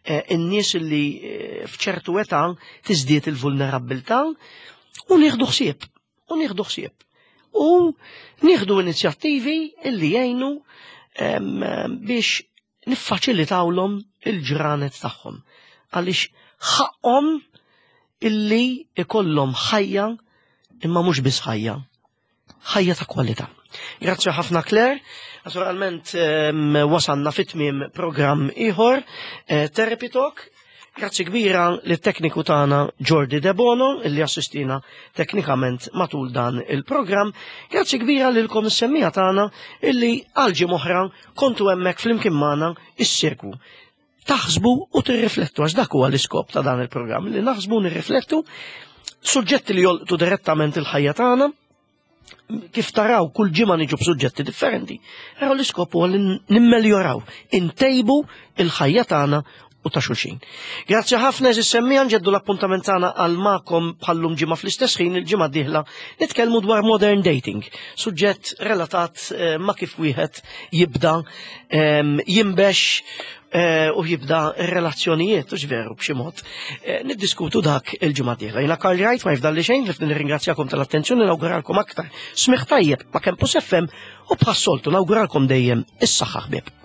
eh, in-nies li eh, f'ċertu età tiżdied il-vulnerabbiltà u nieħdu ħsieb, u nieħdu ħsieb. U nieħdu inizjattivi illi jgħinu biex niffaċilitawlhom il-ġranet tagħhom għaliex ħaqhom illi ikollhom ħajja imma mhux biss ħajja, ħajja ta' kwalità. Grazzi ħafna Claire. Naturalment wasanna fit-tmiem programm ieħor, eh, Therapy Talk. Grazzi kbira lit tekniku tagħna Jordi Debono illi assistina teknikament matul dan il-programm. Grazzi kbira lilkom is-semmija tagħna illi għal ġimgħa kontu hemmhekk flimkien magħna issegwu. Taħsbu u tirriflettu għax dak huwa l-iskop ta' dan il-programm li naħsbu nirriflettu suġġetti li jolqtu direttament il-ħajja tagħna kif taraw kull ġimgħa niġu b'suġġetti differenti, però l-iskop huwa li nimmeljoraw, intejbu il-ħajja tagħna u ta' xulxin. Grazzi ħafna eżis semmija nġeddu l-appuntament tagħna għal magħkom bħallum ġimgħa fl-istess ħin il-ġimgħa d-dieħla nitkellmu dwar modern dating, suġġett relatat eh, ma' kif wieħed jibda ehm, jimbex eh, u jibda relazzjonijiet, u veru b'xi mod. Eh, niddiskutu dak il-ġimgħa d-dieħla. Jiena Karl Wright ma jifdalli xejn li nirringrazzjakom tal-attenzjoni nawguralkom aktar. Smigħ tajjeb ma' Campus FM u bħas-soltu nawguralkom dejjem is-saħħa ħbieb.